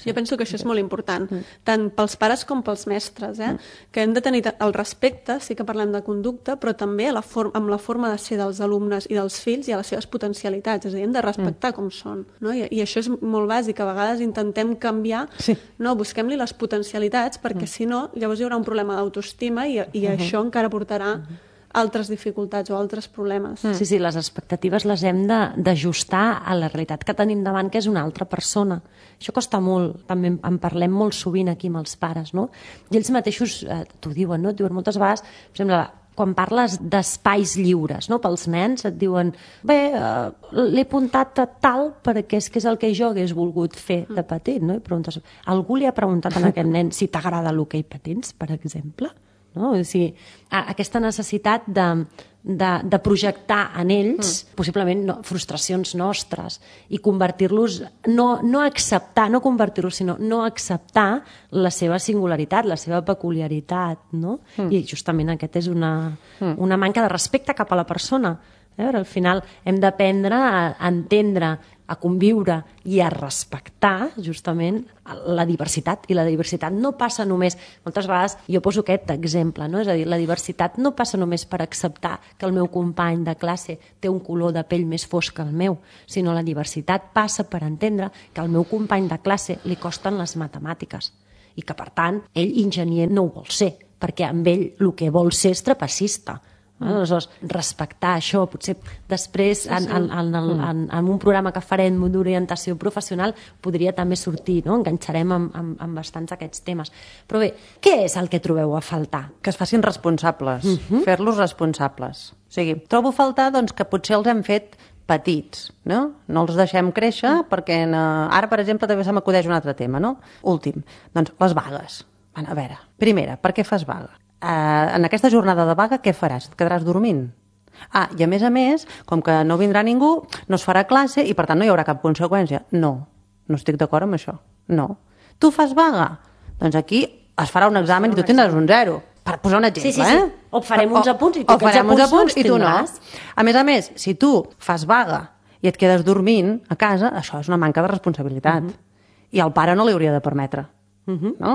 Jo penso que això és molt important, tant pels pares com pels mestres, eh? que hem de tenir el respecte, sí que parlem de conducta, però també a la for amb la forma de ser dels alumnes i dels fills i a les seves potencialitats, és a dir, hem de respectar mm. com són. No? I, I això és molt bàsic, a vegades intentem canviar, Sí. no, busquem-li les potencialitats, perquè mm. si no, llavors hi haurà un problema d'autoestima i, i uh -huh. això encara portarà uh -huh. altres dificultats o altres problemes. Mm. Sí, sí, les expectatives les hem de- d'ajustar a la realitat que tenim davant, que és una altra persona. Això costa molt, també en- en parlem molt sovint aquí amb els pares, no? I ells mateixos eh, t'ho diuen, no? Et diuen moltes vegades, per exemple, quan parles d'espais lliures, no? Pels nens et diuen, bé, eh, l'he apuntat a tal perquè és que és el que jo hagués volgut fer de petit, no? I preguntes, algú li ha preguntat a aquest nen si t'agrada l'hoquei patins, per exemple? No? O sigui, a- aquesta necessitat de, de, de projectar en ells mm. possiblement no, frustracions nostres i convertir-los, no, no acceptar, no convertir-los, sinó no acceptar la seva singularitat, la seva peculiaritat, no? Mm. I justament aquest és una, mm. una manca de respecte cap a la persona. Eh? Al final hem d'aprendre a, a entendre, a conviure i a respectar justament la diversitat, i la diversitat no passa només, moltes vegades jo poso aquest exemple, no? És a dir, la diversitat no passa només per acceptar que el meu company de classe té un color de pell més fosc que el meu, sinó la diversitat passa per entendre que al meu company de classe li costen les matemàtiques i que per tant ell enginyer no ho vol ser, perquè amb ell el que vol ser és trapecista. Aleshores, respectar això, potser després en, en, en, en, en un programa que farem d'orientació professional podria també sortir, no? Enganxarem amb, amb, amb bastants aquests temes. Però bé, què és el que trobeu a faltar? Que es facin responsables, uh -huh. fer-los responsables. O sigui, trobo a faltar doncs, que potser els hem fet petits, no? No els deixem créixer perquè en, ara, per exemple, també se m'acudeix un altre tema, no? Últim, doncs les vagues. Bueno, a veure, primera, per què fas vaga? Uh, en aquesta jornada de vaga què faràs? Et quedaràs dormint? Ah, i a més a més, com que no vindrà ningú, no es farà classe i per tant no hi haurà cap conseqüència. No, no estic d'acord amb això. No. Tu fas vaga? Doncs aquí es farà un examen i tu tindràs un zero. Per posar un exemple, sí, sí, sí. eh? O farem uns apunts i tu o aquests farem uns apunts apunts no i tu no. tindràs. A més a més, si tu fas vaga i et quedes dormint a casa, això és una manca de responsabilitat. Uh-huh. I al pare no li hauria de permetre. Uh-huh. No?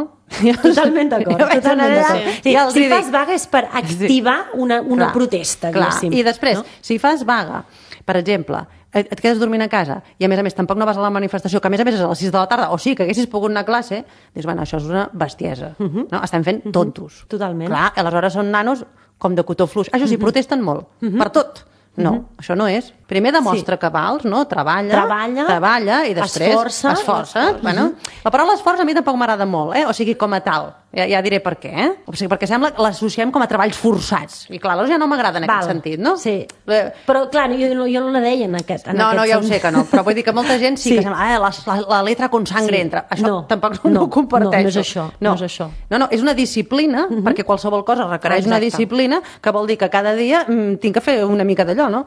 Totalment d'acord. Totalment d'acord. Sí, ja si dic... fas vaga és per activar una, una clar, protesta, clar. diguéssim. I després, no? si fas vaga, per exemple, et, et quedes dormint a casa i a més a més tampoc no vas a la manifestació, que a més a més és a les sis de la tarda, o sí, que haguessis pogut anar a classe, dius, bueno, això és una bestiesa. Uh-huh. No? Estem fent tontos. Uh-huh. Totalment. Clar, aleshores són nanos com de cotó fluix. Això sí, uh-huh. protesten molt, uh-huh. per tot. No, uh-huh. això no és. Primer demostra sí. que vals, no? Treballa, treballa, treballa i després esforça. esforça. esforça. Bueno, uh-huh. La paraula esforç a mi tampoc m'agrada molt, eh? O sigui, com a tal. Ja, ja diré per què, eh? O sigui, perquè sembla que l'associem com a treballs forçats. I clar, aleshores ja no m'agrada en Val. aquest sentit, no? Sí. Eh... Però, clar, jo, no, jo no la deia en aquest, en no, aquest no, ja ho sé que no, però vull dir que molta gent sí, sí. que sembla, eh, la, la, la letra con sangre sí. entra. Això no. tampoc no, no, no ho comparteixo. No, no és això. No, no és això. No, no, és una disciplina, uh-huh. perquè qualsevol cosa requereix Exacte. una disciplina, que vol dir que cada dia mm, tinc que fer una mica d'allò, no?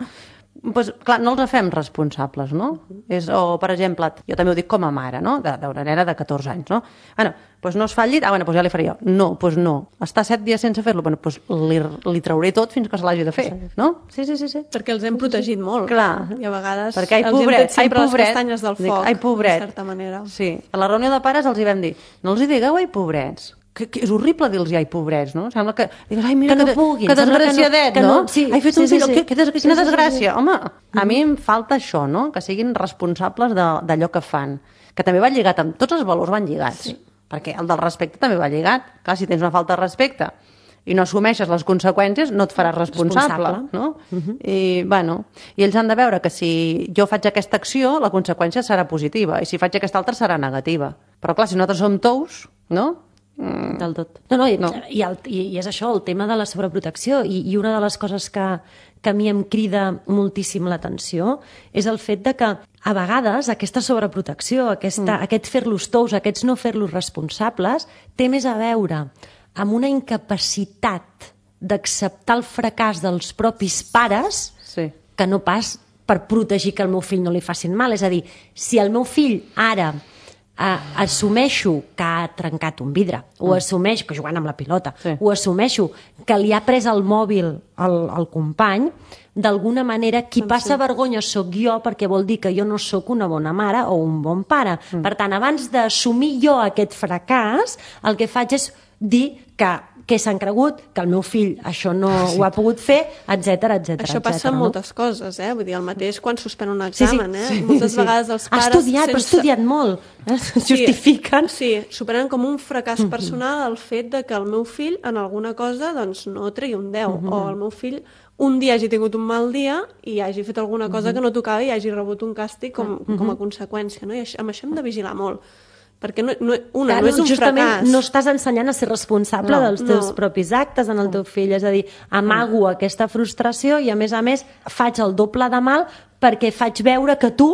Pues, clar, no els fem responsables, no? És, o, per exemple, jo també ho dic com a mare, no? D'una nena de catorze anys, no? Bueno, doncs no es fa el llit, ah, bueno, doncs ja li faré jo. No, doncs no. Està set dies sense fer-lo, bueno, doncs li, li trauré tot fins que se l'hagi de fer, no? Sí, sí, sí, sí. Perquè els hem protegit molt. Clar. I a vegades perquè, ai, els pobret, hem fet sempre ai, pobret, les castanyes del foc, ai, pobret. de certa manera. Sí. A la reunió de pares els hi vam dir, no els hi digueu ai, pobrets. Que, que és horrible dir-los ai, pobrets, no? Sembla que digues, ai, mira, que, no que, puguin, que desgraciadet, que no, que no, no? sí, Ai, fet un sí, fill, sí, que, que, des, sí, quina sí, desgràcia. sí, sí. Home, a mi em falta això, no? Que siguin responsables d'allò que fan. Que també va lligat amb... Tots els valors van lligats. Sí. Perquè el del respecte també va lligat. Clar, si tens una falta de respecte i no assumeixes les conseqüències, no et faràs responsable, responsable. no? Uh-huh. I, bueno, i ells han de veure que si jo faig aquesta acció, la conseqüència serà positiva, i si faig aquesta altra serà negativa. Però clar, si nosaltres som tous, no? Mm. Del tot. No, no, i, No. I, el, i, i és això, el tema de la sobreprotecció. I, i una de les coses que, que a mi em crida moltíssim l'atenció és el fet de que a vegades aquesta sobreprotecció, aquesta, mm. aquest fer-los tous, aquests no fer-los responsables, té més a veure amb una incapacitat d'acceptar el fracàs dels propis pares Sí. que no pas per protegir que al meu fill no li facin mal. És a dir, si el meu fill ara eh, assumeixo que ha trencat un vidre, mm. o assumeixo que jugant amb la pilota, Sí. o assumeixo que li ha pres el mòbil al, al company, d'alguna manera qui passa vergonya sóc jo, perquè vol dir que jo no sóc una bona mare o un bon pare. Mm. Per tant, abans d'assumir jo aquest fracàs, el que faig és dir que que s'han cregut, que el meu fill això no sí. ho ha pogut fer, etcètera, etcètera. Això passa etcètera, amb no? moltes coses, eh? Vull dir, el mateix quan suspèn un Sí, sí. examen, eh? Sí, Moltes sí. vegades els Ha pares... estudiat, però ha estudiat molt. Eh? Justifiquen. Sí, superen com un fracàs personal el fet de que el meu fill en alguna cosa doncs, no tregui un deu, Mm-hmm. o el meu fill un dia hagi tingut un mal dia i hagi fet alguna cosa que no tocava i hagi rebut un càstig com, com a conseqüència. No? I això, amb això hem de vigilar molt. Perquè no, no, una, Clar, no és un justament fracàs. no estàs ensenyant a ser responsable No, dels teus no. propis actes en el teu fill, és a dir, amago aquesta frustració i a més a més faig el doble de mal perquè faig veure que tu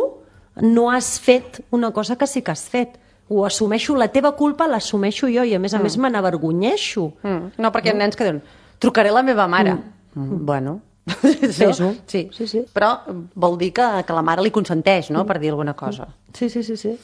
no has fet una cosa que sí que has fet. Ho assumeixo, la teva culpa l'assumeixo jo i a més a més me n'avergonyeixo. Mm. No, perquè hi ha nens que diuen trucaré a la meva mare. Mm. Bueno... Fes-ho. Sí. Sí, sí. Però vol dir que, que la mare li consenteix, no?, per dir alguna cosa. Sí, sí, sí, sí.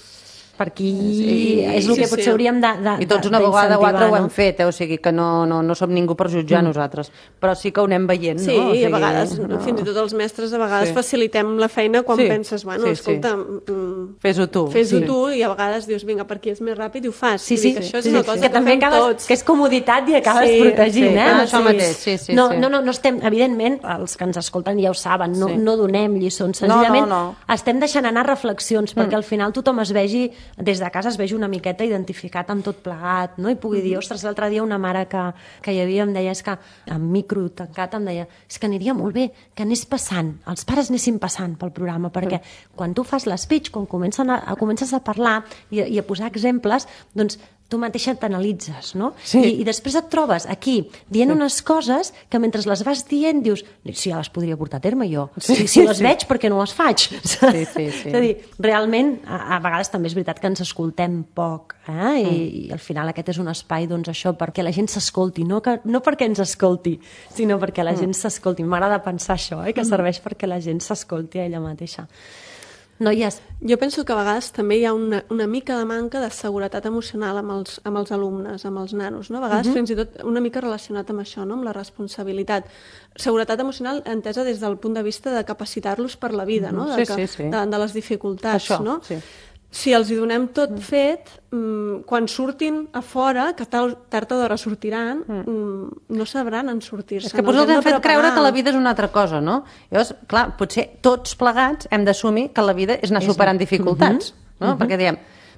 Per aquí Sí, és el sí, que sí. potser hauríem de, de, I tots una vegada o altra ho hem no? fet, eh? O sigui que no, no, no som ningú per jutjar mm. nosaltres, però sí que ho anem veient, Sí, no? O sigui, i a vegades, no. fins i tot els mestres, a vegades Sí. facilitem la feina quan Sí. penses, bueno, Sí, escolta, sí. mm, Fes-ho tu. fes-ho Sí. tu, i a vegades dius, vinga, per aquí és més ràpid i ho fas. Sí, Vull sí, dir que això és sí, una sí, cosa que, que, també fem acabes, tots. que és comoditat i acabes Sí, protegint, sí, eh? ah, això mateix, sí, sí, no, sí. no, no, no estem, evidentment, els que ens escolten ja ho saben, no, Sí. no donem lliçons, No, senzillament no, no. estem deixant anar reflexions, perquè al final tothom es vegi, des de casa es vegi una miqueta identificat amb tot plegat, no? I pugui dir, ostres, l'altre dia una mare que, que hi havia em deia, és que amb micro tancat em deia, és que aniria molt bé que anés passant, els pares anessin passant pel programa, perquè quan tu fas l'espeech, quan comencen a, a, comences a parlar i, a- i a posar exemples, doncs tu mateixa t'analitzes, no? Sí. I, I després et trobes aquí dient sí. unes coses que mentre les vas dient dius, si ja les podria portar a terme jo, Sí, si, si les sí. veig perquè no les faig. Sí, sí, sí. És a dir, realment, a, a vegades també és veritat que ens escoltem poc, eh? I, Mm. i al final aquest és un espai, doncs això, perquè la gent s'escolti, no, que, no perquè ens escolti, sinó perquè la Mm. gent s'escolti. M'agrada pensar això, eh? Que serveix perquè la gent s'escolti a ella mateixa. Noies, Jo penso que a vegades també hi ha una, una mica de manca de seguretat emocional amb els, amb els alumnes, amb els nanos, no? A vegades uh -huh. fins i tot una mica relacionat amb això, no? Amb la responsabilitat. Seguretat emocional entesa des del punt de vista de capacitar-los per la vida, no? De, Sí, que, sí, sí. de, de les dificultats, Això, no? sí. Si els hi donem tot fet, mm, quan surtin a fora, que tal, tard o d'hora sortiran, mm, no sabran en sortir-se. És que potser els hem fet creure que la vida és una altra cosa, no? Llavors, clar, potser tots plegats hem d'assumir que la vida és anar superant dificultats, no? Perquè diem,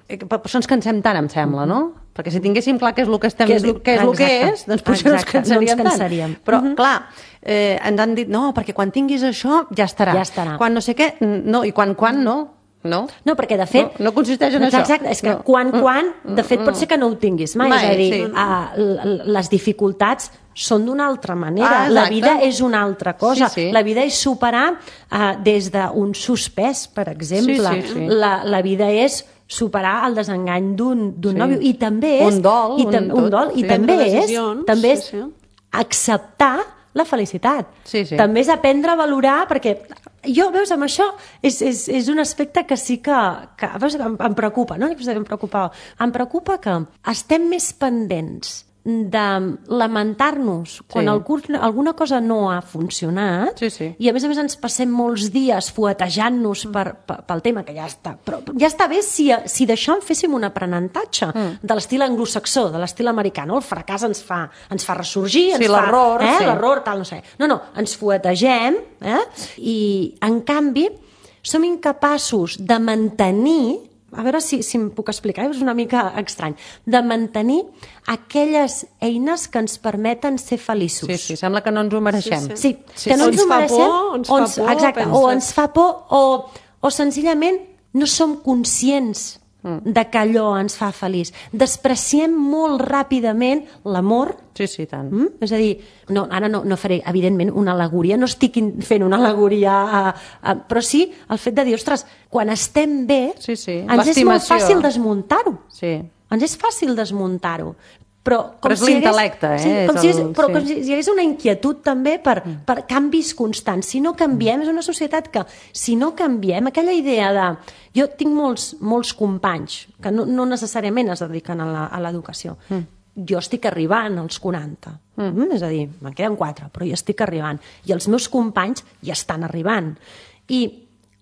eh, per això ens cansem tant, em sembla, no? Perquè si tinguéssim clar què és el que estem, Què és el- què és el que exacte. és, doncs potser no ens Exacte, no ens cansaríem tant. cansaríem. Però, clar, eh, ens han dit, no, perquè quan tinguis això ja estarà. Ja estarà. Quan no sé què, no, i quan, quan no. No? no, perquè de fet... No, no consisteix en això. Exacte, és que No. quan, quan, de fet pot ser que no ho tinguis mai, Mai, és a dir, sí. uh, l- les dificultats són d'una altra manera, Ah, la exacte. vida és una altra cosa, Sí, sí. la vida és superar uh, des d'un suspès, per exemple, Sí, sí, sí. La, la vida és superar el desengany d'un d'un Sí. nòvio, i també és... Un dol, i tam, un un dol, tot, i sí. també Prendre és, decisions, també és sí, sí. acceptar la felicitat. Sí, sí. També és aprendre a valorar, perquè jo, veus, amb això és, és, és un aspecte que sí que, que veus, em, em preocupa, no? Em preocupa. Em preocupa que estem més pendents de lamentar-nos quan Sí. algú, alguna cosa no ha funcionat, Sí, sí. i a més a més ens passem molts dies fuetejant-nos per, per, pel tema, que ja està, però ja està bé si, si d'això en féssim un aprenentatge mm. de l'estil anglosaxó, de l'estil americà, no? El fracàs ens fa, ens fa ressorgir, ens Sí, fa, l'error, eh? sí. l'error, tal, no sé. No, no, ens fuetegem, eh? I en canvi som incapaços de mantenir, a veure si, si em puc explicar, és una mica estrany, de mantenir aquelles eines que ens permeten ser feliços. Sí, sí, sembla que no ens ho mereixem. Sí, Sí, Sí, que no o ens ens ho fa mereixem, por, ens o fa por, exacte, o penses. ens fa por, o, o senzillament no som conscients mm. de que allò ens fa feliç. Despreciem molt ràpidament l'amor. Sí, sí, tant. Mm? És a dir, no, ara no, no faré, evidentment, una al·legoria, no estic fent una al·legoria, a, a, però sí el fet de dir, ostres, quan estem bé, sí, sí. ens és molt fàcil desmuntar-ho. Sí. Ens és fàcil desmuntar-ho. Però, com però és si l'intel·lecte, eh? Sí, com si el... hagués, però sí. com si hi hagués una inquietud també per, mm. per canvis constants. Si no canviem, és una societat que, si no canviem, aquella idea de... Jo tinc molts, molts companys que no, no necessàriament es dediquen a l'educació. Mm. Jo estic arribant als quaranta. Mm. És a dir, me'n queden quatre, però jo estic arribant. I els meus companys ja estan arribant. I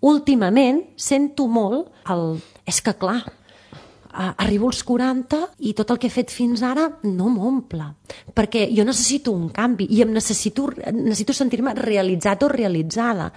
últimament sento molt el... És que clar, arribo als quaranta i tot el que he fet fins ara no m'omple, perquè jo necessito un canvi i em necessito, necessito sentir-me realitzat o realitzada.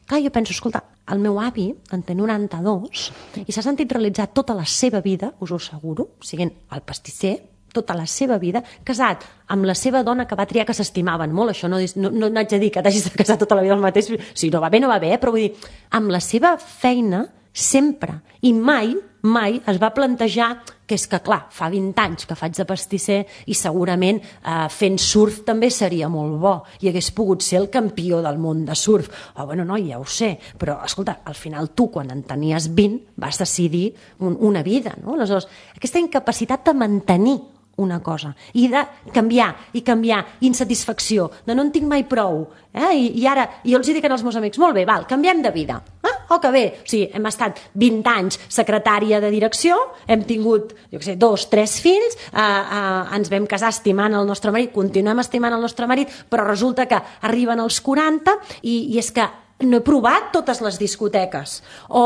Clar, jo penso, escolta, el meu avi en té noranta-dos i s'ha sentit realitzat tota la seva vida, us ho asseguro, siguent el pastisser, tota la seva vida, casat amb la seva dona que va triar, que s'estimaven molt, això no, no, no haig de dir que t'hagis de casar tota la vida el mateix, si no va bé, no va bé, eh? Però vull dir, amb la seva feina sempre, i mai, mai es va plantejar que és que, clar, fa vint anys que faig de pastisser i segurament eh, fent surf també seria molt bo i hagués pogut ser el campió del món de surf. Oh, bueno, no, ja ho sé, però, escolta, al final tu, quan en tenies vint, vas decidir un, una vida, no? Aleshores, aquesta incapacitat de mantenir una cosa, i de canviar, i canviar, insatisfacció, de no en tinc mai prou, eh? I, i ara, jo els dic als meus amics, molt bé, val, canviem de vida, ah, oh, que bé, o sigui, hem estat vint anys secretària de direcció, hem tingut, jo què sé, dos, tres fills, eh, eh, ens vam casar estimant el nostre marit, continuem estimant el nostre marit, però resulta que arriben els quaranta i, i és que no he provat totes les discoteques, o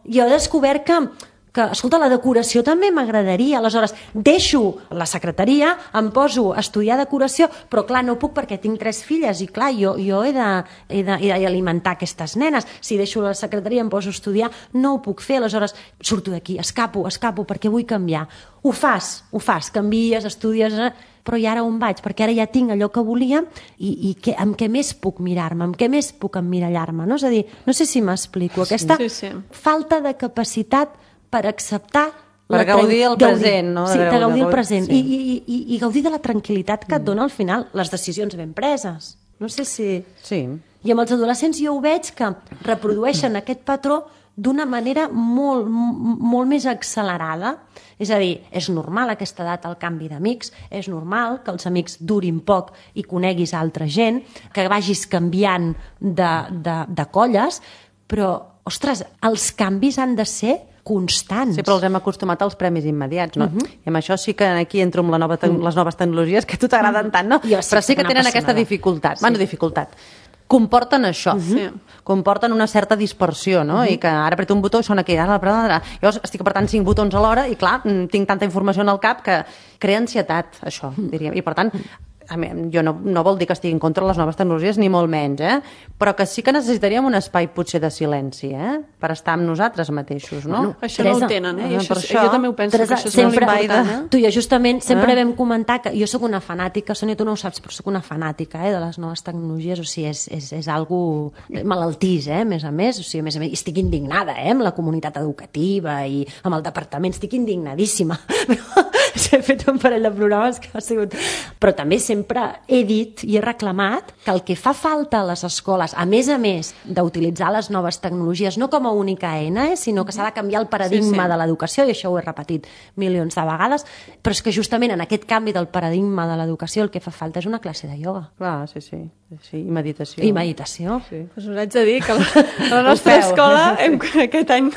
jo he descobert que que, escolta, la decoració també m'agradaria, aleshores deixo la secretaria, em poso a estudiar decoració, però clar, no puc perquè tinc tres filles i clar, jo, jo he d'alimentar aquestes nenes, si deixo la secretaria em poso a estudiar, no ho puc fer, aleshores surto d'aquí, escapo, escapo perquè vull canviar. Ho fas, ho fas, canvies, estudies, però i ara on vaig? Perquè ara ja tinc allò que volia i, i que, amb què més puc mirar-me, amb què més puc emmirallar-me, no? És a dir, no sé si m'explico, aquesta sí, sí. falta de capacitat per acceptar... Per gaudir el present, no? Sí, de gaudir el present. Sí. I, i, i, I gaudir de la tranquil·litat que et dona al final les decisions ben preses. No sé si... Sí. I amb els adolescents jo ho veig que reprodueixen aquest patró d'una manera molt, molt més accelerada. És a dir, és normal a aquesta edat el canvi d'amics, és normal que els amics durin poc i coneguis altra gent, que vagis canviant de, de, de colles, però, ostres, els canvis han de ser constants. Sí, però els hem acostumat als premis immediats, no? Uh -huh. I amb això sí que aquí entro amb la nova te- les noves tecnologies que a tu t'agraden tant, no? Jo sí però sí que una tenen apassionada. aquesta dificultat. Sí. Bueno, dificultat. Comporten això, Uh-huh. Sí. comporten una certa dispersió, no? Uh-huh. I que ara apreto un botó i sona aquí, ara, ara, ara. Llavors estic apretant cinc botons alhora i clar, tinc tanta informació en el cap que crea ansietat, això, diríem. I per tant, a mi, jo no, no vol dir que estigui en contra de les noves tecnologies, ni molt menys, eh? Però que sí que necessitaríem un espai potser de silenci, eh? Per estar amb nosaltres mateixos, no? Bueno, Això Teresa, no ho tenen, eh? I per això, això, jo també ho penso, Teresa, que això és sempre, molt important, eh? tu i jo justament sempre Eh? vam comentar que jo sóc una fanàtica, Sònia, tu no ho saps, però sóc una fanàtica eh, de les noves tecnologies, o sigui, és, és, és algo malaltís, eh, a més a més, o sigui, a més a més, estic indignada, eh, amb la comunitat educativa i amb el departament, estic indignadíssima. He fet un parell de programes que ha sigut... Però també sempre he dit i he reclamat que el que fa falta a les escoles, a més a més d'utilitzar les noves tecnologies, no com a única eina, eh, sinó que s'ha de canviar el paradigma Sí, sí. de l'educació, i això ho he repetit milions de vegades, però és que justament en aquest canvi del paradigma de l'educació el que fa falta és una classe de ioga. Clar, sí, sí. sí. I meditació. I meditació. Sí. Pues us haig de dir que a la, a la nostra feu. escola hem, aquest any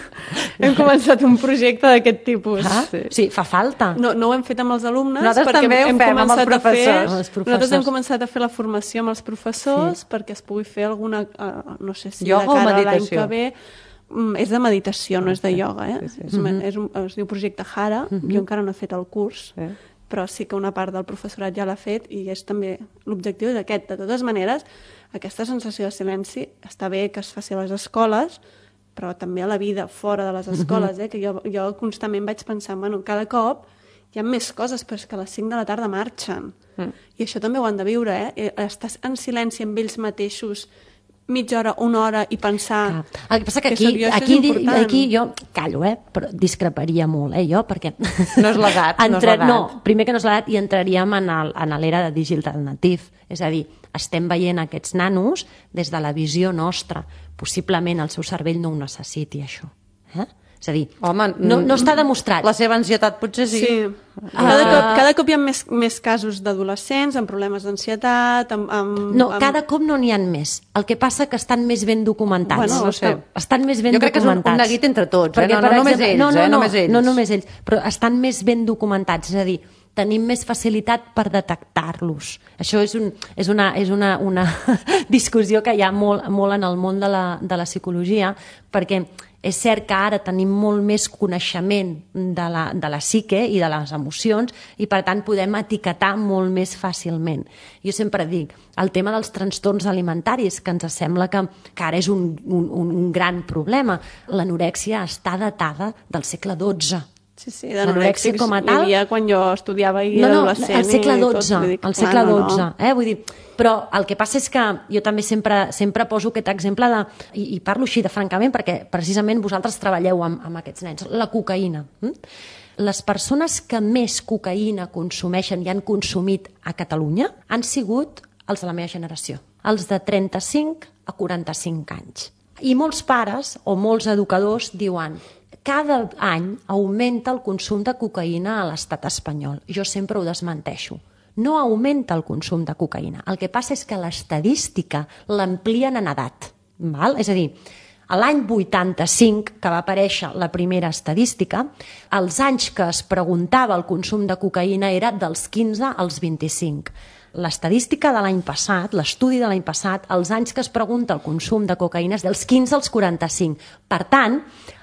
hem començat un projecte d'aquest tipus. Ah, Sí. sí, fa falta. No, no ho hem fet amb els alumnes, Nosaltres perquè també ho hem fem amb els començat a fer... professors. Amb els professors. Nosaltres hem començat a fer la formació amb els professors sí. perquè es pugui fer alguna... Uh, no sé si Ioga o de cara a l'any meditació? que ve... Mm, és de meditació, no és de ioga, eh? Sí, sí. És, mm-hmm. és un, es diu Projecte Hara, mm-hmm. jo encara no he fet el curs, Sí. però sí que una part del professorat ja l'ha fet i és també l'objectiu d'aquest. De totes maneres, aquesta sensació de silenci està bé que es faci a les escoles, però també a la vida fora de les escoles, eh? Que jo, jo constantment vaig pensant, bueno, cada cop hi ha més coses, però és que a les cinc de la tarda marxen. Mm. I això també ho han de viure, eh? Estar en silenci amb ells mateixos mitja hora, una hora i pensar... Clar. El que passa que que aquí, això és aquí, important. aquí jo callo, eh? Però discreparia molt, eh, jo, perquè... No és l'edat, no és Entra... l'edat. No, primer que no és l'edat, i entraríem en el- en l'era de digital native. És a dir, estem veient aquests nanos des de la visió nostra. Possiblement el seu cervell no ho necessiti, això. Eh? És a dir, Home, no, no està demostrat. La seva ansietat potser sí. Sí. Cada, Ah. cop, cada cop hi ha més, més casos d'adolescents amb problemes d'ansietat, amb, amb... No, amb... cada cop no n'hi ha més. El que passa que estan més ben documentats. Bueno, no sé. Estan més ben Jo crec que és un- un documentats. neguit entre tots, eh? Perquè, No- per no només exemple, ells, no, no, eh? no, Només ells. No només ells, però estan més ben documentats, és a dir, tenim més facilitat per detectar-los. Això és, un, és, una, és una, una discussió que hi ha molt, molt en el món de la, de la psicologia, perquè és cert que ara tenim molt més coneixement de la, de la psique i de les emocions i, per tant, podem etiquetar molt més fàcilment. Jo sempre dic, el tema dels trastorns alimentaris, que ens sembla que, que ara és un, un, un gran problema. L'anorèxia està datada del segle dotze. Sí, sí, L'anorèxia d'anorèxics com a hi tal... havia quan jo estudiava i No, era no, adolescent. al segle i tot, dotze, vull dir, al clar, segle no, dotze, no. eh? Vull dir, però el que passa és que jo també sempre, sempre poso aquest exemple de, i, i parlo així de francament perquè precisament vosaltres treballeu amb, amb aquests nens, la cocaïna. Hm? Les persones que més cocaïna consumeixen i han consumit a Catalunya han sigut els de la meva generació, els de trenta-cinc a quaranta-cinc anys. I molts pares o molts educadors diuen cada any augmenta el consum de cocaïna a l'estat espanyol. Jo sempre ho desmenteixo. No augmenta el consum de cocaïna. El que passa és que l'estadística l'amplien en edat. Val? És a dir, a l'any vuitanta-cinc, que va aparèixer la primera estadística, els anys que es preguntava el consum de cocaïna era dels quinze als vint-i-cinc. L'estadística de l'any passat, l'estudi de l'any passat, els anys que es pregunta el consum de cocaïna és dels quinze als quaranta-cinc. Per tant,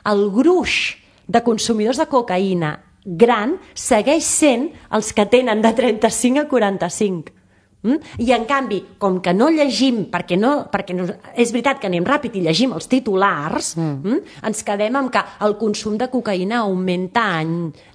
el gruix de consumidors de cocaïna gran segueix sent els que tenen de trenta-cinc a quaranta-cinc. Mm? I en canvi, com que no llegim, perquè, no, perquè no, és veritat que anem ràpid i llegim els titulars, mm. Mm, ens quedem amb que el consum de cocaïna augmenta any,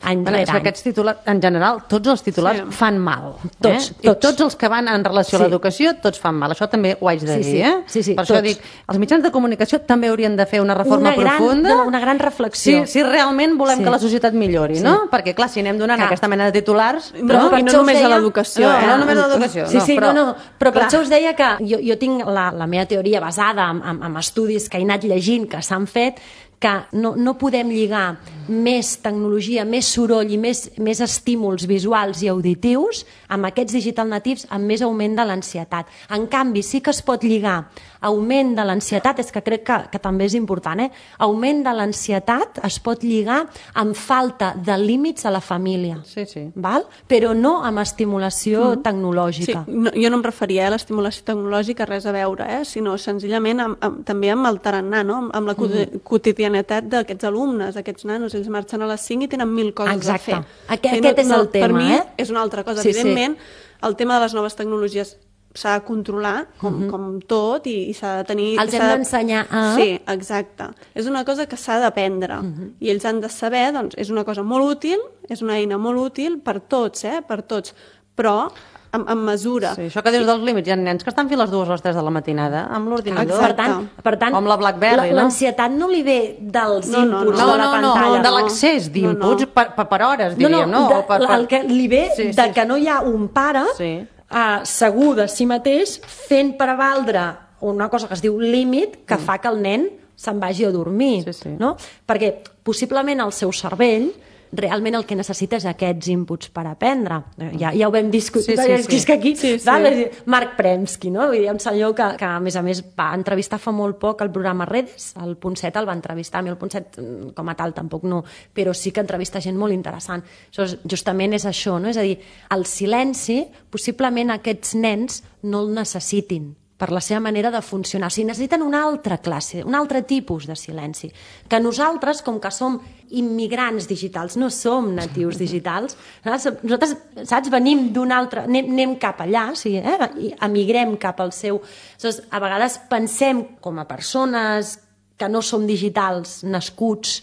any Bueno, és rere que any. aquests titulars, en general, tots els titulars Sí. fan mal. Tots, eh? I tots. tots els que van en relació Sí. a l'educació, tots fan mal. Això també ho haig de Sí, dir, sí. eh? Sí, sí, per això tots. dic, els mitjans de comunicació també haurien de fer una reforma Una gran- profunda. no, una gran reflexió. Si, si realment volem Sí. que la societat millori, Sí. no? Perquè, clar, si anem donant Clar. aquesta mena de titulars... Però, per I no això us només a deia- l'educació, No, eh? no només a l'educació. Sí, sí, però, no, no, però per clar, això us deia que jo, jo tinc la, la meva teoria basada en, en, en estudis que he anat llegint, que s'han fet, que no, no podem lligar més tecnologia, més soroll i més, més estímuls visuals i auditius amb aquests digital natives amb més augment de l'ansietat. En canvi, sí que es pot lligar augment de l'ansietat, és que crec que, que també és important, eh? Augment de l'ansietat es pot lligar amb falta de límits a la família, Sí, sí. val? Però no amb estimulació Sí, tecnològica. no, jo no em referia a l'estimulació tecnològica, res a veure, eh? sinó senzillament amb, amb, també amb el tarannà, no? amb, amb la mm. quotidianitat d'aquests alumnes, d'aquests nanos. Ells marxen a les cinc i tenen mil coses Exacte. a fer. Aquest- I aquest és el tema, per mi eh? és una altra cosa. Sí, sí. Evidentment, el tema de les noves tecnologies s'ha de controlar, com, mm -hmm. com tot, i, i s'ha de tenir... Els hem s'ha de- d'ensenyar a- Sí, exacte. És una cosa que s'ha d'aprendre. Mm -hmm. I ells han de saber, doncs, és una cosa molt útil, és una eina molt útil per tots, eh? Per tots. Però amb, amb mesura. Sí, això que dius dels límits, hi ha nens que estan fins a les dues o les tres de la matinada amb l'ordinador. Per tant, per tant O amb la BlackBerry, no? l'ansietat no li ve dels No, no, inputs No, de la no, no, pantalla. de l'accés d'inputs No, no. per, per, per hores, diríem, no? de, O per, per... El que li ve Sí, de sí. que no hi ha un pare Sí. uh, segur de si mateix fent prevaldre una cosa que es diu límit que mm. fa que el nen se'n vagi a dormir. Sí, sí. No? Perquè possiblement el seu cervell realment el que necessita és aquests inputs per aprendre. Ja, ja ho vam discutir. Sí, sí, és, sí. és que aquí, Sí, sí. val? Marc Premsky, no? Vull dir, un senyor que, que, a més a més, va entrevistar fa molt poc al programa Redes, el Punt set el va entrevistar, a mi el Punt set com a tal tampoc no, però sí que entrevista gent molt interessant. Això justament és això, no? És a dir, el silenci, possiblement aquests nens no el necessitin per la seva manera de funcionar. O sigui, necessiten una altra classe, un altre tipus de silenci. Que nosaltres, com que som immigrants digitals, no som natius digitals, nosaltres, saps, venim d'un altre... Anem, anem cap allà, o sigui, eh? I emigrem cap al seu... Aleshores, a vegades pensem com a persones que no som digitals, nascuts,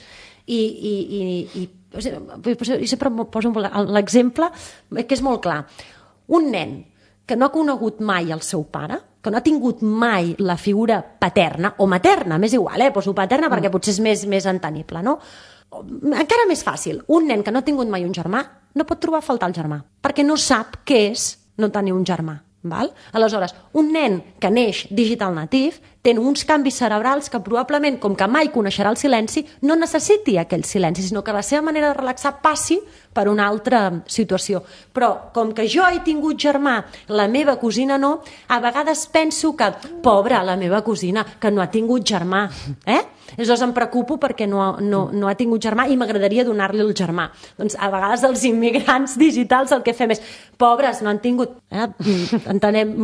i, i, i, i, o sigui, i sempre poso l'exemple que és molt clar. Un nen que no ha conegut mai el seu pare que no ha tingut mai la figura paterna, o materna, m'és igual, eh? Poso paterna perquè potser és més, més entenible, no? Encara més fàcil, un nen que no ha tingut mai un germà no pot trobar a faltar el germà, perquè no sap què és no tenir un germà. Val? Aleshores, un nen que neix digital native té uns canvis cerebrals que probablement, com que mai coneixerà el silenci, no necessiti aquell silenci, sinó que la seva manera de relaxar passi per una altra situació. Però, com que jo he tingut germà, la meva cosina no, a vegades penso que, pobra, la meva cosina, que no ha tingut germà, eh? Aleshores em preocupo perquè no, no, no ha tingut germà i m'agradaria donar-li el germà. Doncs a vegades els immigrants digitals el que fem és, pobres, no han tingut... Eh? Entenem,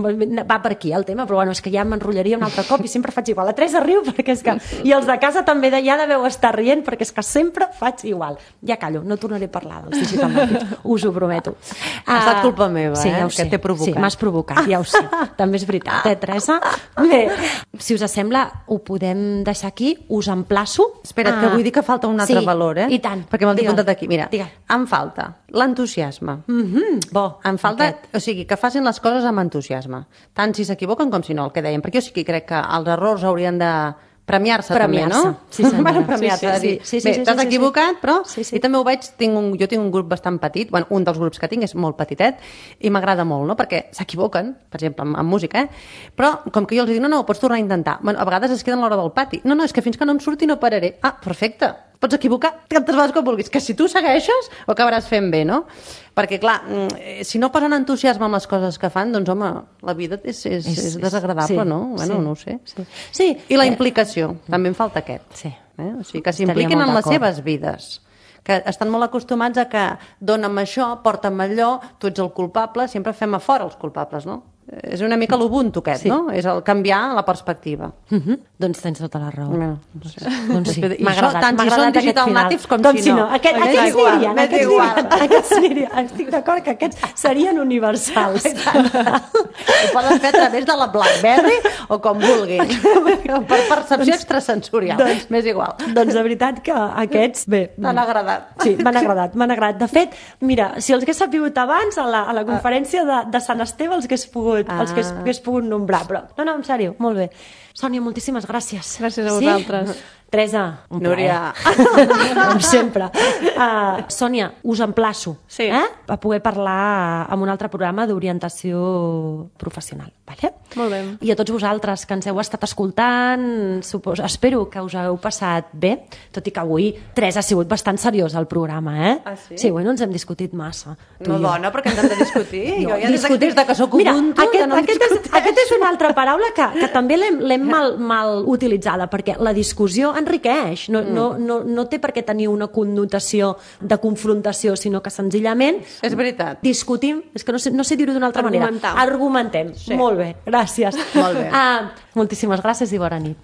va per aquí el tema, però bueno, és que ja m'enrotllaria un altre cop i sempre faig igual. La Teresa riu perquè és que... I els de casa també de, ja deveu estar rient perquè és que sempre faig igual. Ja callo, no tornaré a parlar dels digital natives, us ho prometo. Ha estat culpa meva, sí, eh? Ja que t'he provocat. Sí, m'has provocat, ja ho sé. També és veritat, eh, Teresa? Bé, si us sembla, ho podem deixar aquí. Us emplaço. Espera't, que vull dir que falta un altre sí, valor, eh? I tant. Perquè me'l tinc apuntat aquí. Mira, Digue. em falta l'entusiasme. Mm-hmm. Bo, em falta, aquest. o sigui, que facin les coses amb entusiasme. Tant si s'equivoquen com si no, el que dèiem. Perquè jo sí que crec que els errors haurien de premiar-se també, no? Sí, senyora. Bueno, premiar-se, sí, sí, sí, sí, sí, bé, sí, t'has sí, sí, equivocat, sí. però... Sí, sí. I també ho veig, tinc un, jo tinc un grup bastant petit, bueno, un dels grups que tinc és molt petitet, i m'agrada molt, no? Perquè s'equivoquen, per exemple, amb, amb música, eh? Però, com que jo els dic, no, no, ho pots tornar a intentar. Bueno, a vegades es queden a l'hora del pati. No, no, és que fins que no em surti no pararé. Ah, perfecte. Pots equivocar tantes vegades com vulguis, que si tu segueixes ho acabaràs fent bé, no? Perquè, clar, si no posen entusiasme amb les coses que fan, doncs, home, la vida és, és, és, és desagradable, sí, no? Bueno, sí, no ho sé. Sí. Sí. I la Eh, implicació, també em falta aquest. Sí. Eh? O sigui, que Estaria s'impliquin molt en les d'acord. seves vides, que estan molt acostumats a que dona'm això, porta'm allò, tu ets el culpable, sempre fem a fora els culpables, no? És una mica l'ubuntu aquest, Sí. no? És el canviar la perspectiva. Mm-hmm. Doncs tens tota la raó. No, no sé. Doncs sí, I m'ha això, agradat, tant m'ha si són agradat aquest digital final. natives com, com si no. Aquest, M'és aquests igual, anirien, m'és aquests igual. anirien, aquests anirien. Estic d'acord que aquests serien universals. Ho poden fer a través de la BlackBerry o com vulguin. Per percepció extrasensorial. Doncs- M'és igual. Doncs de veritat que aquests, bé... T'han agradat. Sí, m'han agradat, m'han agradat. De fet, mira, si els hagués sabut abans, a la, a la conferència de, de Sant Esteve els hagués pogut, els hagués, Ah. hagués pogut nombrar, però no, no, en sèrio, molt bé. Sònia, moltíssimes gràcies. Gràcies a vosaltres. Sí? Teresa, un Núria. plaer. Com sempre. Uh, Sònia, us emplaço Sí. eh? a poder parlar en un altre programa d'orientació professional. Vale? Molt bé. I a tots vosaltres que ens heu estat escoltant, supos, espero que us heu passat bé, tot i que avui Teresa ha sigut bastant seriós al programa, eh? Ah, sí? Sí, bueno, ens hem discutit massa. tu No, i jo. dona, perquè ens hem de discutir. No, jo ja des, discutir- des de que sóc Mira, ubuntu, aquest, ja no em aquest, és, discuteixo. aquest és una altra paraula que, que també l'hem l'hem mal, mal utilitzada, perquè la discussió enriqueix, no, mm. no, no, no té per què tenir una connotació de confrontació, sinó que senzillament És veritat. discutim, és que no sé, no sé dir-ho d'una altra manera. Argumentar. Argumentem. Sí. Molt bé, gràcies. Molt bé. Ah, moltíssimes gràcies i bona nit.